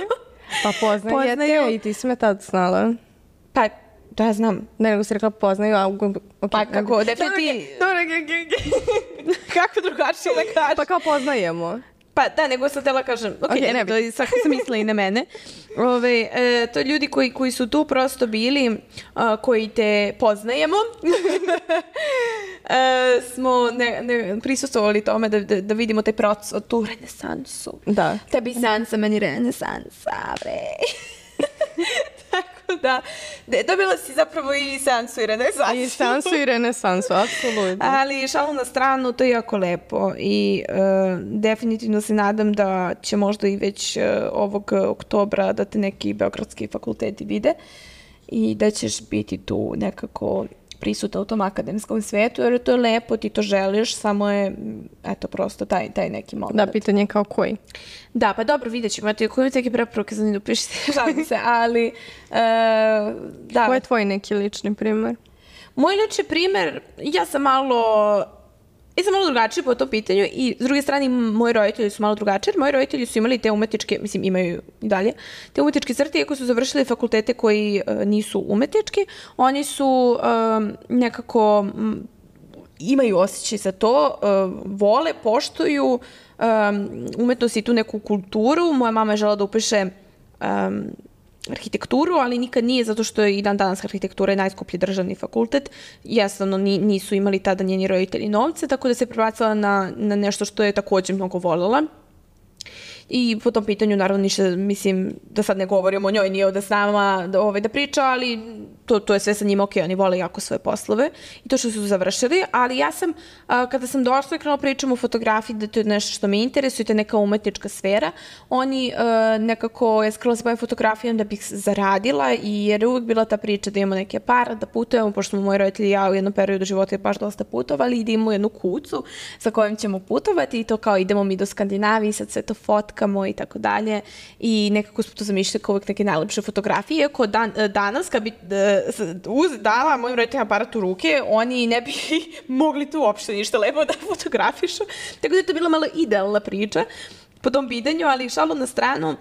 Pa poznajete i ti si me tad znala. Pa, da, znam. Ne, nego si rekla poznaju, a... Pa kako, definitivno... Kako drugačije da kažem? Pa kao poznajemo. Pa da, nego sam htjela kažem, sad sam mislila i na mene. To ljudi koji su tu prosto bili, koji te poznajemo, smo prisustvovali tome da vidimo taj proces od tu renesansu. Da. Tebi sansa, meni renesansa, bre. Tako da, dobila si zapravo i sansu i renesansu. I sansu i renesansu, apsolutno. Ali šalu na stranu, to je jako lepo i definitivno se nadam da će možda i već ovog oktobra da te neki beogradski fakulteti vide i da ćeš biti tu nekako prisutna u tom akademskom svetu, jer to je lepo, ti to želiš, samo je, eto, prosto taj neki moment. Da, pitanje kao koji? Da, pa dobro, vidjet ćemo. Eto, koji mi teke preporuke za njih upišite, žalim se, ali... da. Koji je tvoj neki lični primer? Moj lični primer, ja sam malo drugačija po tom pitanju i s druge strane moji roditelji su malo drugačiji, jer moji roditelji su imali te umetničke, mislim imaju i dalje, te umetničke crte, iako su završili fakultete koji nisu umetnički, oni su nekako imaju osjećaj za to, vole, poštuju umetnost i tu neku kulturu. Moja mama je žela da upiše arhitekturu, ali nikad nije, zato što je i dan danas arhitektura je najskuplji državni fakultet. Jednostavno nisu imali tada njeni roditelji novce, tako da se prebacila na nešto što je također mnogo voljela. I po tom pitanju, naravno, ništa, mislim, da sad ne govorimo o njoj, nije ovdje s nama da priča, ali to je sve sa njima ok, oni vole jako svoje poslove i to što su završili, ali ja sam, kada sam došla i krenula pričam o fotografiji, da to je nešto što me interesuje, to je neka umetnička sfera, oni nekako, ja skrenula se bavim fotografijom da bih zaradila i jer je uvijek bila ta priča da imamo neke para, da putujemo, pošto smo moji roditelji i ja u jednom periodu života je baš dosta putovali i da imamo jednu kucu sa kojom ćemo putovati i to kao idemo mi do Skandinavije, sad sve to fotkamo i tako dalje i nekako smo to zamišljali kao uvijek neke najlepše fotografije, iako danas kad bi dala mojim roditeljima aparat u ruke, oni ne bi mogli tu uopšte ništa lepo da fotografišu, tako da je to bila malo idealna priča po tom pitanju, ali šalu na stranu,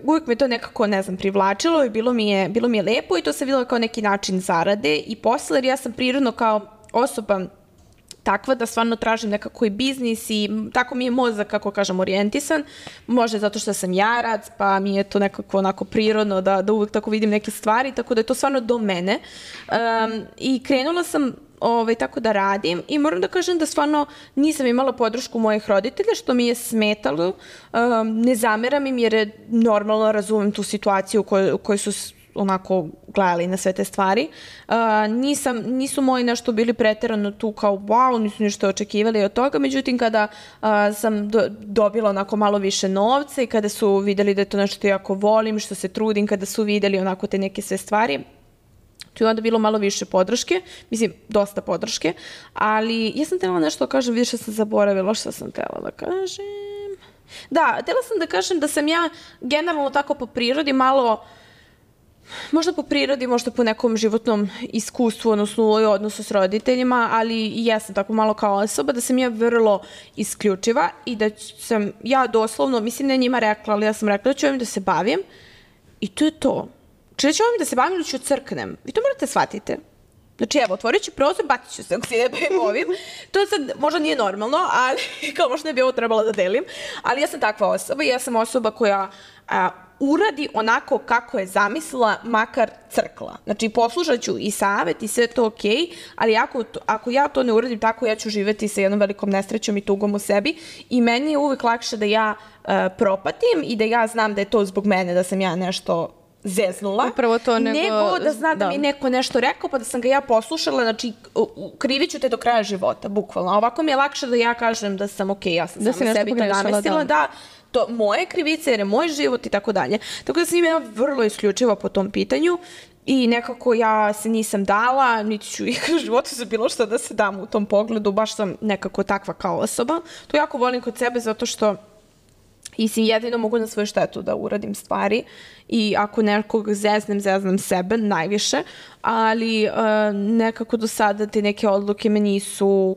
uvijek me to nekako, ne znam, privlačilo i bilo mi je lepo i to se vidjelo kao neki način zarade i posle, jer ja sam prirodno kao osoba takva da stvarno tražim nekako i biznis i tako mi je mozak, kako kažem, orijentisan. Može zato što sam jarac, pa mi je to nekako onako prirodno da uvijek tako vidim neke stvari, tako da je to stvarno do mene. I krenula sam tako da radim i moram da kažem da stvarno nisam imala podršku mojih roditelja, što mi je smetalo. Ne zameram im jer je normalno, razumem tu situaciju u kojoj su onako gledali na sve te stvari. Nisu moji nešto bili preterano tu kao wow, nisu ništa očekivali od toga, međutim kada sam dobila onako malo više novca i kada su vidjeli da je to nešto što jako volim, što se trudim, kada su vidjeli onako te neke sve stvari, tu je onda bilo malo više podrške, mislim, dosta podrške, ali ja sam htjela nešto da kažem, vidiš što sam zaboravila, što sam htjela da kažem. Da, htjela sam da kažem da sam ja generalno tako po prirodi malo, možda po prirodi, možda po nekom životnom iskustvu, odnosno u odnosu s roditeljima, ali i ja sam tako malo kao osoba, da sam ja vrlo isključiva i da sam ja doslovno, mislim ne njima rekla, ali ja sam rekla da ću ovim da se bavim i to je to. Znači da ću ovim da se bavim ili ću crknem. Vi to morate shvatite. Znači evo, otvorit ću prozor, bacit ću se ako si ne bavim ovim. To sad možda nije normalno, ali kao možda ne bi ovo trebala da delim, ali ja sam takva osoba i ja sam osoba koja uradi onako kako je zamislila, makar crkla. Znači, poslušat ću i savet i sve to okej, ali ako ja to ne uradim tako, ja ću živeti sa jednom velikom nesrećom i tugom u sebi i meni je uvek lakše da ja propatim i da ja znam da je to zbog mene, da sam ja nešto zeznula, upravo to nego da zna da mi neko nešto rekao pa da sam ga ja poslušala, znači krivit ću te do kraja života, bukvalno. Ovako mi je lakše da ja kažem da sam okej, ja sam sama sebi to namestila, da to moje krivice, jer je moj život i tako dalje. Tako da sam ja vrlo isključiva po tom pitanju i nekako ja se nisam dala, niti ću ikad u životu za bilo što da se dam u tom pogledu, baš sam nekako takva kao osoba. To jako volim kod sebe zato što jedino mogu na svoju štetu da uradim stvari i ako nekog zeznem sebe najviše, ali nekako do sada te neke odluke me nisu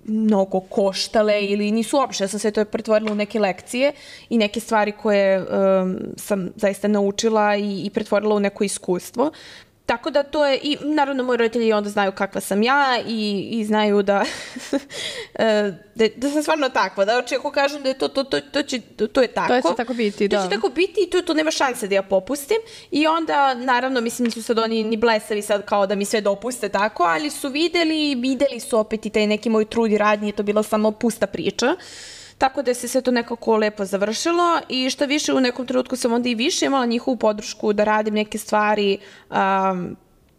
mnogo koštale ili nisu uopšte. Ja sam sve to pretvorila u neke lekcije i neke stvari koje sam zaista naučila i pretvorila u neko iskustvo. Tako da to je, i naravno moji roditelji onda znaju kakva sam ja i znaju da sam stvarno takva, da ako kažem da je to je tako. To će tako biti, da. To će tako biti i to nema šanse da ja popustim i onda naravno mislim nisu sad oni ni blesavi sad kao da mi sve dopuste tako, ali su videli su opet i taj neki moj trud i rad, nije to bila samo pusta priča. Tako da se sve to nekako lepo završilo i što više u nekom trenutku sam onda i više imala njihovu podršku da radim neke stvari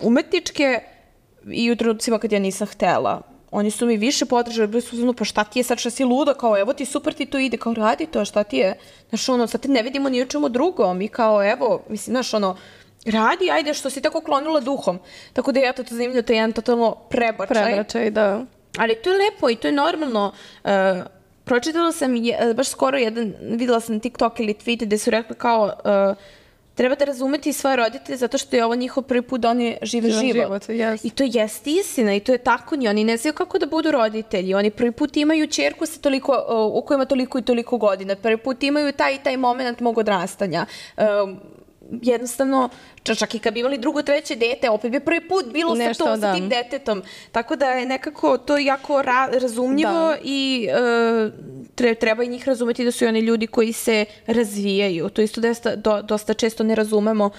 umetničke i u trenutcima kad ja nisam htela. Oni su mi više podržali, bili su pa šta ti je sad, šta si luda, kao evo ti super ti to ide, kao radi to, šta ti je, znaš ono, sad te ne vidimo ni u čemu drugom i kao evo, mislim, znaš ono, radi, ajde što si tako klonila duhom. Tako da je to zanimljivo, to je jedan totalno prebačaj, da. Ali to je lepo i to je normalno. Pročitala sam baš skoro videla sam TikTok ili tweet gde su rekli kao treba da razumeti svoje roditelje zato što je ovo njihov prvi put da oni žive život. Yes. I to jeste istina i to je tako, oni ne znaju kako da budu roditelji. Oni prvi put imaju ćerku u kojima toliko i toliko godina. Prvi put imaju taj moment mog odrastanja. Jednostavno, čak i kad bi imali drugo, treće dete, opet bi prvi put bilo sa tim detetom. Tako da je nekako to jako razumljivo i treba i njih razumeti da su i oni ljudi koji se razvijaju. To isto dosta često ne razumemo,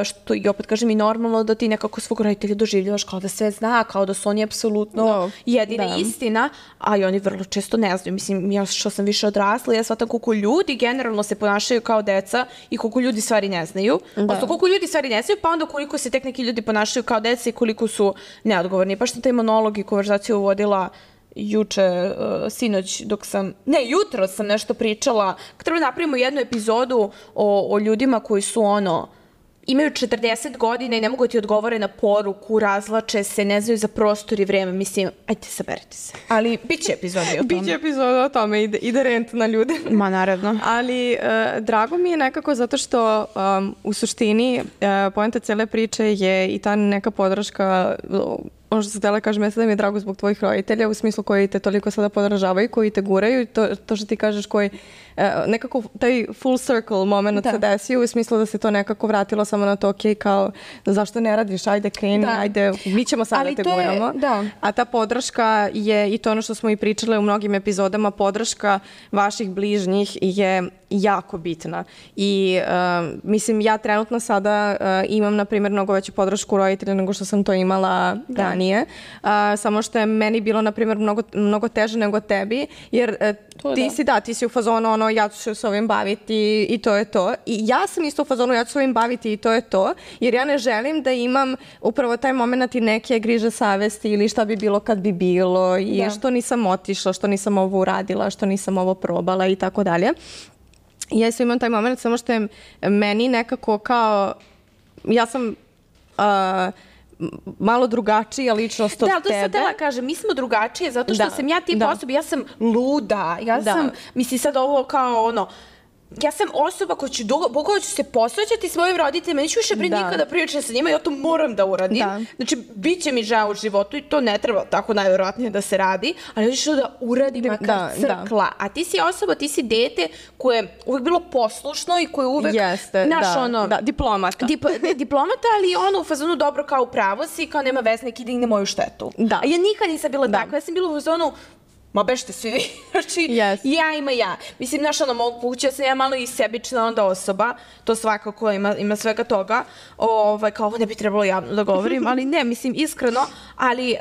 što i opet kažem i normalno da ti nekako svog roditelja doživljavaš kao da sve zna, kao da su oni apsolutno jedina istina, a i oni vrlo često ne znaju. Mislim, ja što sam više odrasla, ja shvatam koliko ljudi generalno se ponašaju kao deca i koliko ljudi stvari ne znaju. Odnosno, koliko ljudi stvari ne znaju, pa onda koliko se tek neki ljudi ponašaju kao deca i koliko su neodgovorni. Pa što taj monolog i konverzaciju uvodila sinoć jutro sam nešto pričala. Treba napravimo jednu epizodu o ljudima koji su imaju 40 godina i ne mogu ti odgovore na poruku, razlače se, ne znaju za prostor i vreme. Mislim, ajde, saberite se. Ali bit će epizoda o tome. Biće epizoda o tome, ide rent na ljude. Ma, naravno. Ali drago mi je nekako zato što u suštini poenta cele priče je i ta neka podrška, ono što se htjela kažem, da mi je drago zbog tvojih roditelja, u smislu koji te toliko sada podržavaju, koji te guraju i to što ti kažeš koji nekako taj full circle moment se desio, u smislu da se to nekako vratilo samo na to, ok, kao zašto ne radiš, ajde kreni, ajde, mi ćemo sada da te guramo. A ta podrška je i to ono što smo i pričale u mnogim epizodama, podrška vaših bližnjih je jako bitna. I mislim, ja trenutno sada imam, na primjer, mnogo veću podršku roditelja nego što sam to imala ranije. Samo što je meni bilo, na primjer, mnogo teže nego tebi, jer ti si u fazonu ja ću se ovim baviti i to je to. I ja sam isto u fazonu, ja ću se ovim baviti i to je to, jer ja ne želim da imam upravo taj moment i neke griže savesti ili šta bi bilo kad bi bilo i što nisam otišla, što nisam ovo uradila, što nisam ovo probala i tako dalje. Ja isto imam taj moment, samo što je meni nekako kao, ja sam malo drugačija ličnost od tebe. Da, to sam htjela kažem, mi smo drugačije zato što sam ja tip osoba, ja sam luda, ja sam, misli sad ovo kao ja sam osoba koja ću se posvećati svojim roditeljima, neću više nikada pričati sa njima, ja to moram da uradim. Znači, bit će mi žao u životu i to ne treba tako najvjerojatnije da se radi, ali ja ću da uradim makar crkla. A ti si osoba, ti si dete koje je uvek bilo poslušno i koje uvek, diplomata. Diplomata, ali u fazonu dobro kao upravo si, kao nema veze, neki digne moju štetu. A ja nikad nisam bila takva, ja sam bila u fazonu ma bežite svi vi. Znači, ja ima ja. Mislim, znaš, ono, moguće sam ja malo i sebična onda osoba, to svakako ima svega toga, kao ovo ne bi trebalo javno da govorim, ali ne, mislim, iskreno, ali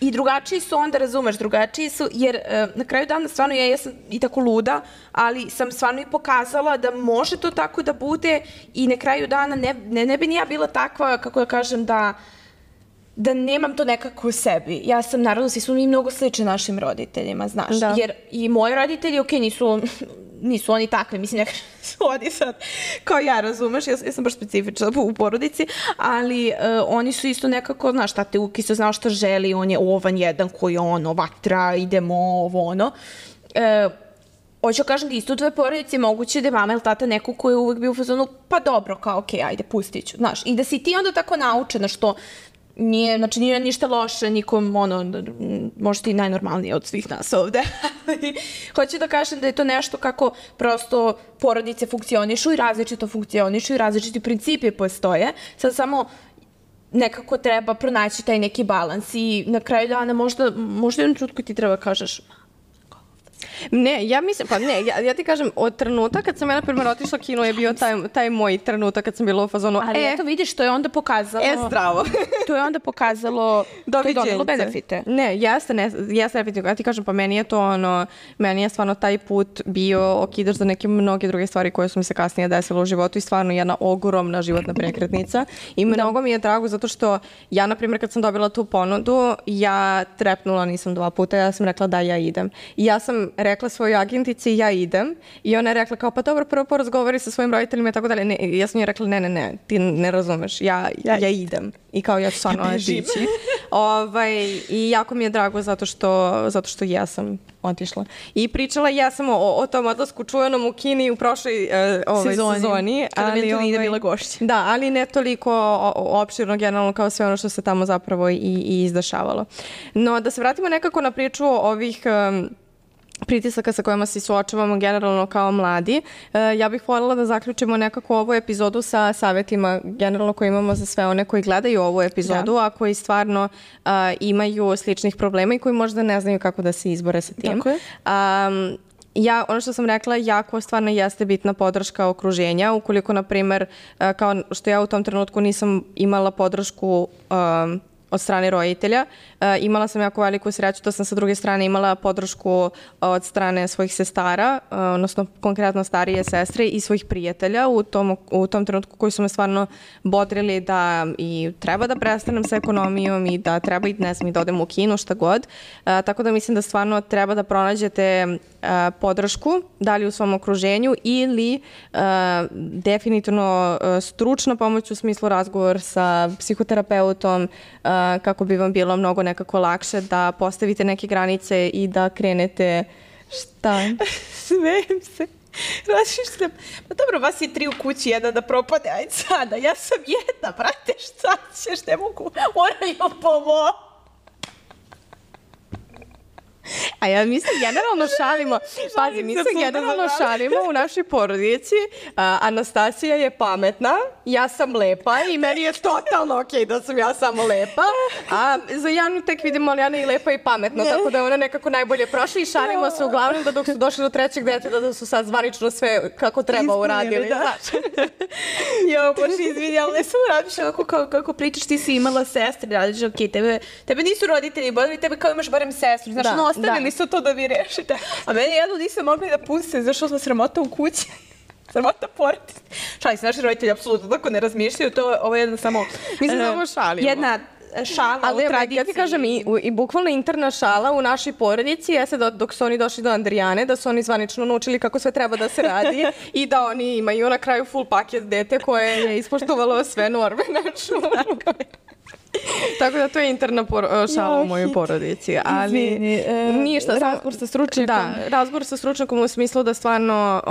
i drugačiji su onda, razumeš, drugačiji su, jer na kraju dana stvarno ja jesam i tako luda, ali sam stvarno i pokazala da može to tako da bude i na kraju dana ne bi ni ja bila takva, kako da kažem, da nemam to nekako u sebi. Ja sam, naravno, svi smo mi mnogo slični našim roditeljima, znaš. Jer i moji roditelji, okej, nisu oni takvi, mislim, nekako su oni sad, kao ja, razumeš, ja sam baš specifična u porodici, ali oni su isto nekako, znaš, tate Ukiso znao šta želi, on je ovan jedan koji je ono, vatra, idemo, ovo, ono. Hoću kažem da isto u tvojoj porodici moguće da je mama ili tata neko koji je uvek bio u fazonu, pa dobro, kao, okej, ajde, pustit ću, znaš. I da si ti onda tako naučena, što nije ništa loše nikom, možda ti najnormalnije od svih nas ovde. Hoću da kažem da je to nešto kako prosto porodice funkcionišu i različito funkcionišu i različiti principi postoje. Sad samo nekako treba pronaći taj neki balans i na kraju dana možda u jednom trenutku ti treba kažeš Ne, ja mislim, pa ne, ja ti kažem, od trenutka kad sam ja, na primjer, otišla kino je bio taj moj trenutak kad sam bila u fazonu, ali eto vidiš, to je onda pokazalo... zdravo. To je onda pokazalo, to je donelo benefite. Ne, jeste definitivno, ja ti kažem, pa meni je to meni je stvarno taj put bio okidač za neke mnoge druge stvari koje su mi se kasnije desile u životu i stvarno jedna ogromna životna prekretnica i mnogo mi je drago zato što ja, na primjer, kad sam dobila tu ponudu, ja trepnula nisam 2 puta, ja sam rekla da ja idem. I ja sam rekla svojoj agentici ja idem i ona je rekla kao pa dobro, prvo porazgovori sa svojim roditeljima i tako dalje. Ja sam joj rekla ne, ti ne razumeš, ja idem. I kao ja ću stvarno otići. I jako mi je drago zato što ja sam otišla. I pričala ja sam o tom odlasku čuvenom u Kini u prošloj sezoni. Kada mi je to nije bila gošća. Da, ali ne toliko opširno generalno kao sve ono što se tamo zapravo i izdešavalo. No, da se vratimo nekako na priču ovih pritisaka sa kojima se suočavamo generalno kao mladi. Ja bih voljela da zaključimo nekako ovu epizodu sa savjetima generalno koje imamo za sve one koji gledaju ovu epizodu, a koji stvarno imaju sličnih problema i koji možda ne znaju kako da se izbore sa tim. Tako je. Ono što sam rekla, jako stvarno jeste bitna podrška okruženja. Ukoliko, na primer, kao što ja u tom trenutku nisam imala podršku od strane roditelja. Imala sam jako veliku sreću, to sam sa druge strane imala podršku od strane svojih sestara, odnosno konkretno starije sestre i svojih prijatelja u tom trenutku koji su me stvarno bodrili da i treba da prestanem sa ekonomijom i da treba i da odem u kino, šta god. Tako da mislim da stvarno treba da pronađete podršku, da li u svom okruženju ili definitivno stručna pomoć u smislu razgovor sa psihoterapeutom, kako bi vam bilo mnogo nekako lakše da postavite neke granice i da krenete šta? Smejem se. Razmišljam, pa dobro, vas je 3 u kući, jedna da propade, ajde sada, ja sam jedna, brate, šta ćeš, ne mogu, moraju pomoći. A ja mislim, generalno šalimo, pazi, mi se generalno šalimo u našoj porodici. Anastasija je pametna, ja sam lepa i meni je totalno okej da sam ja samo lepa. A za Janu tek vidimo, ali Jana je i lepa i pametna, tako da je ona nekako najbolje prošla i šalimo se uglavnom da dok su došli do 3. deteta da su sad zvanično sve kako treba uradili. Jo, bože, izvini, ali ne sam radiš kako pričaš, ti si imala sestre, radiš, okej, tebe nisu roditelji, bodili tebe kao imaš barem sestru, znaš, ostavili su to da vi rešite. A meni jedno nisam mogli da puste, zašto sam sramota u kući. Sramota porodice. Šalim se, naši roditelji apsolutno tako ne razmišljaju, ovo je jedna samo... Mi se samo šalimo. Jedna šala u tradiciji. Ja ti kažem, i bukvalno interna šala u našoj porodici jeste da dok su oni došli do Andrijane, da su oni zvanično naučili kako sve treba da se radi i da oni imaju na kraju full paket dete koje je ispoštovalo sve norme. Tako da to je interna šala u mojoj porodici. Ali ništa. Razgovor sa stručnjakom. Da, razgovor sa stručnjakom u smislu da stvarno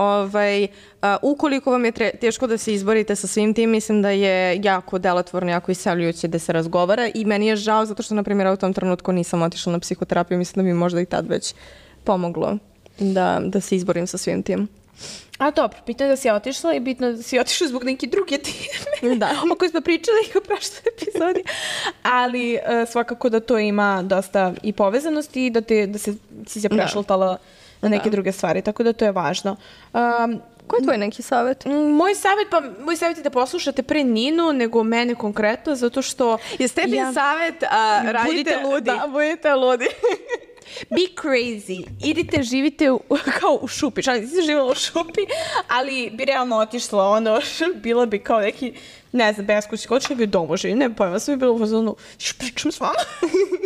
ukoliko vam je teško da se izborite sa svim tim, mislim da je jako delotvorno, jako isceljujuće da se razgovara i meni je žao zato što, na primjer, u tom trenutku nisam otišla na psihoterapiju, mislim da mi možda i tad već pomoglo da se izborim sa svim tim. A dobro, bitno je da si otišla i bitno je da si otišla zbog neke druge teme Da. o kojoj smo pričali u prošloj epizodi, ali svakako da to ima dosta i povezanosti i da si se prešaltala na neke druge stvari, tako da to je važno. Koji je tvoj neki savjet? Moj savjet je da poslušate pre Ninu nego mene konkretno, zato što... Jeste tebi savjet, radite... Budite ludi. Da, budite ludi. Be crazy. Idite, živite kao u šupi. Šalim, nisi živjela u šupi, ali bi realno otišla, bila bi kao neki, ne znam, beskućnik, otišla bi u domu živi, ne pojma, sam bi bila u fazonu, pričam s vama,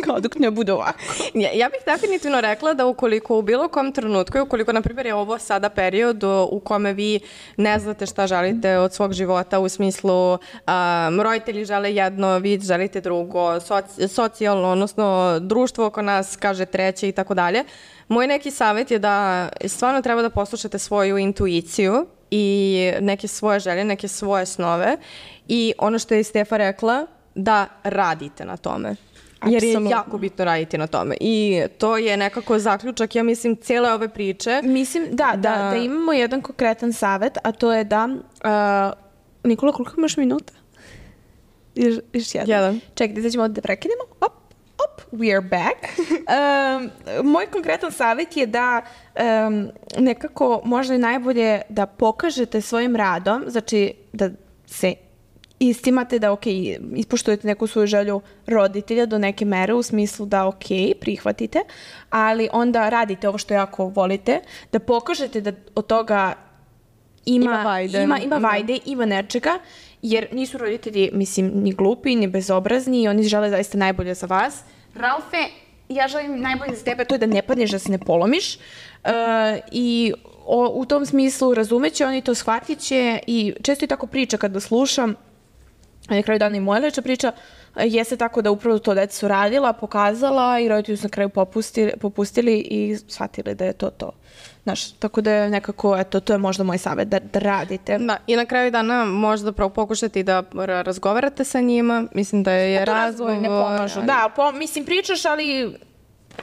kao dok ne bude ovako. Ja bih definitivno rekla da ukoliko u bilo kom trenutku, ukoliko, na primjer, je ovo sada period u kome vi ne znate šta želite od svog života, u smislu roditelji žele jedno, vi želite drugo, socijalno, odnosno društvo oko nas kaže treće i tako dalje. Moj neki savjet je da stvarno treba da poslušate svoju intuiciju i neke svoje želje, neke svoje snove i ono što je Stefa rekla, da radite na tome. Jer je jako bitno raditi na tome. I to je nekako zaključak, ja mislim, cijele ove priče. Mislim, da imamo jedan konkretan savjet, a to je da... Nikola, koliko imaš minuta? Još jedan. Čekaj, da ćemo da prekinemo. We are back. Moj konkretan savjet je da nekako možda je najbolje da pokažete svojim radom, znači da se istimate da ispoštujete neku svoju želju roditelja do neke mere u smislu da prihvatite, ali onda radite ovo što jako volite, da pokažete da od toga ima vajde, ima nečega, jer nisu roditelji, mislim, ni glupi, ni bezobrazni i oni žele zaista najbolje za vas. Ralfe, ja želim najbolje za tebe, to je da ne padneš, da se ne polomiš i u tom smislu razumeće, oni to shvatit će i često i tako priča kada slušam, na kraju dana i moja leča priča, jeste tako da upravo to deca su radila, pokazala i roditelji su na kraju popustili i shvatili da je to to. Znaš, tako da je nekako, eto, to je možda moj savjet, da radite. Da, i na kraju dana možda pokušati da razgovarate sa njima, mislim da je razgovor... ne pomažu, da, mislim, pričaš, ali...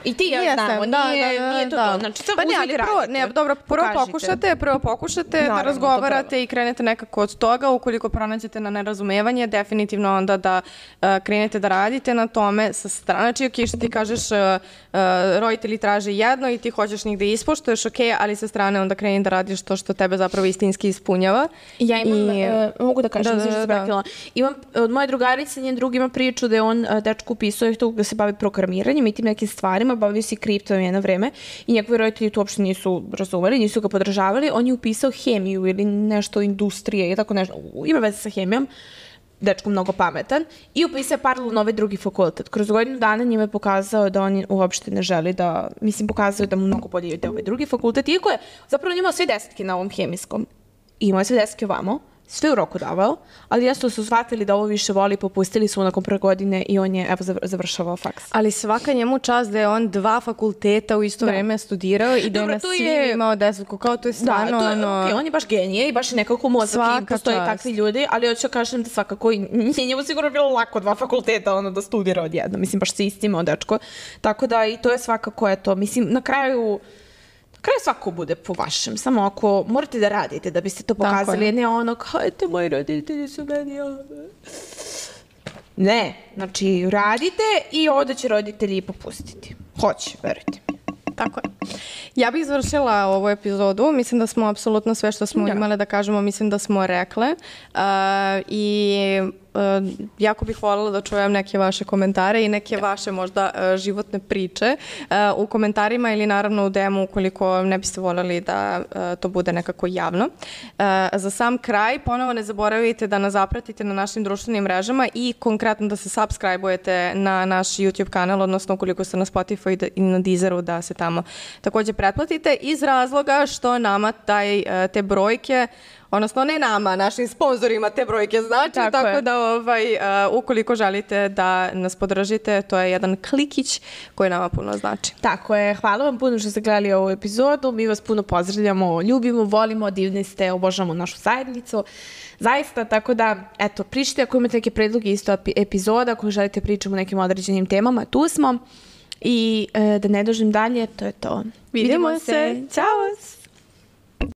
I ti ja znamo, nije to. Znači, samo uzmite radite. Dobro, prvo pokušate da razgovarate i krenete nekako od toga. Ukoliko pronađete na nerazumevanje, definitivno onda da krenete da radite na tome sa strane. Znači, što ti kažeš, roditelji traže jedno i ti hoćeš njih da ispoštuješ, ali sa strane onda kreni da radiš to što tebe zapravo istinski ispunjava. Ja imam, mogu da kažem, imam od moje drugarice, njen drug ima priču da je on dečku upisao da se bavi programiranjem i tim nekim stvarima, bavio se kriptom jedno vreme i njegovi roditelji to uopšte nisu razumeli, nisu ga podržavali. On je upisao hemiju ili nešto industrije i tako nešto, ima veze sa hemijom, dečko mnogo pametan, i upisao paralelno na ovaj drugi fakultet. Kroz godinu dana njima je pokazao da on uopšte ne želi da, mislim, pokazao je da mu mnogo bolje ide ovaj drugi fakultet, iako je zapravo imao sve 10 na ovom hemijskom. Imao je sve 10 ovamo, sve u roku davao, ali jasno su shvatili da ovo više voli, popustili su nakon prve godine i on je, evo, završavao faks. Ali svaka njemu čast da je on 2 fakulteta u isto vreme studirao i da je na svim imao 10, kao to je stvarno on je baš genije i baš nekako mozak i postoje takvi ljudi, ali hoću da kažem da svakako njemu sigurno bilo lako 2 fakulteta da studira odjedno, mislim, baš se istimao dečko, tako da i to je svakako, eto, mislim, na kraju svako bude po vašem, samo ako morate da radite da biste to pokazali, ne ono kao, eto, moji roditelji su meni ne, znači radite i ovdje će roditelji popustiti. Hoće, verujte. Tako je. Ja bih završila ovu epizodu. Mislim da smo apsolutno sve što smo imale da kažemo, mislim da smo rekle. I jako bih voljela da čujem neke vaše komentare i neke vaše možda životne priče u komentarima ili naravno u DM-u ukoliko ne biste voljeli da to bude nekako javno. Za sam kraj, ponovo ne zaboravite da nas zapratite na našim društvenim mrežama i konkretno da se subscribe-ujete na naš YouTube kanal, odnosno ukoliko ste na Spotify i na Deezeru da se tamo također pretplatite iz razloga što nama te brojke, odnosno ne nama, našim sponzorima te brojke znači, tako da ukoliko želite da nas podržite, to je jedan klikić koji nama puno znači. Tako je, hvala vam puno što ste gledali ovu epizodu, mi vas puno pozdravljamo, ljubimo, volimo, divni ste, obožavamo našu zajednicu, zaista, tako da, eto, pričajte ako imate neke predloge isto epizoda, ako želite pričamo o nekim određenim temama, tu smo i da ne dužim dalje, to je to. Vidimo se, ćao!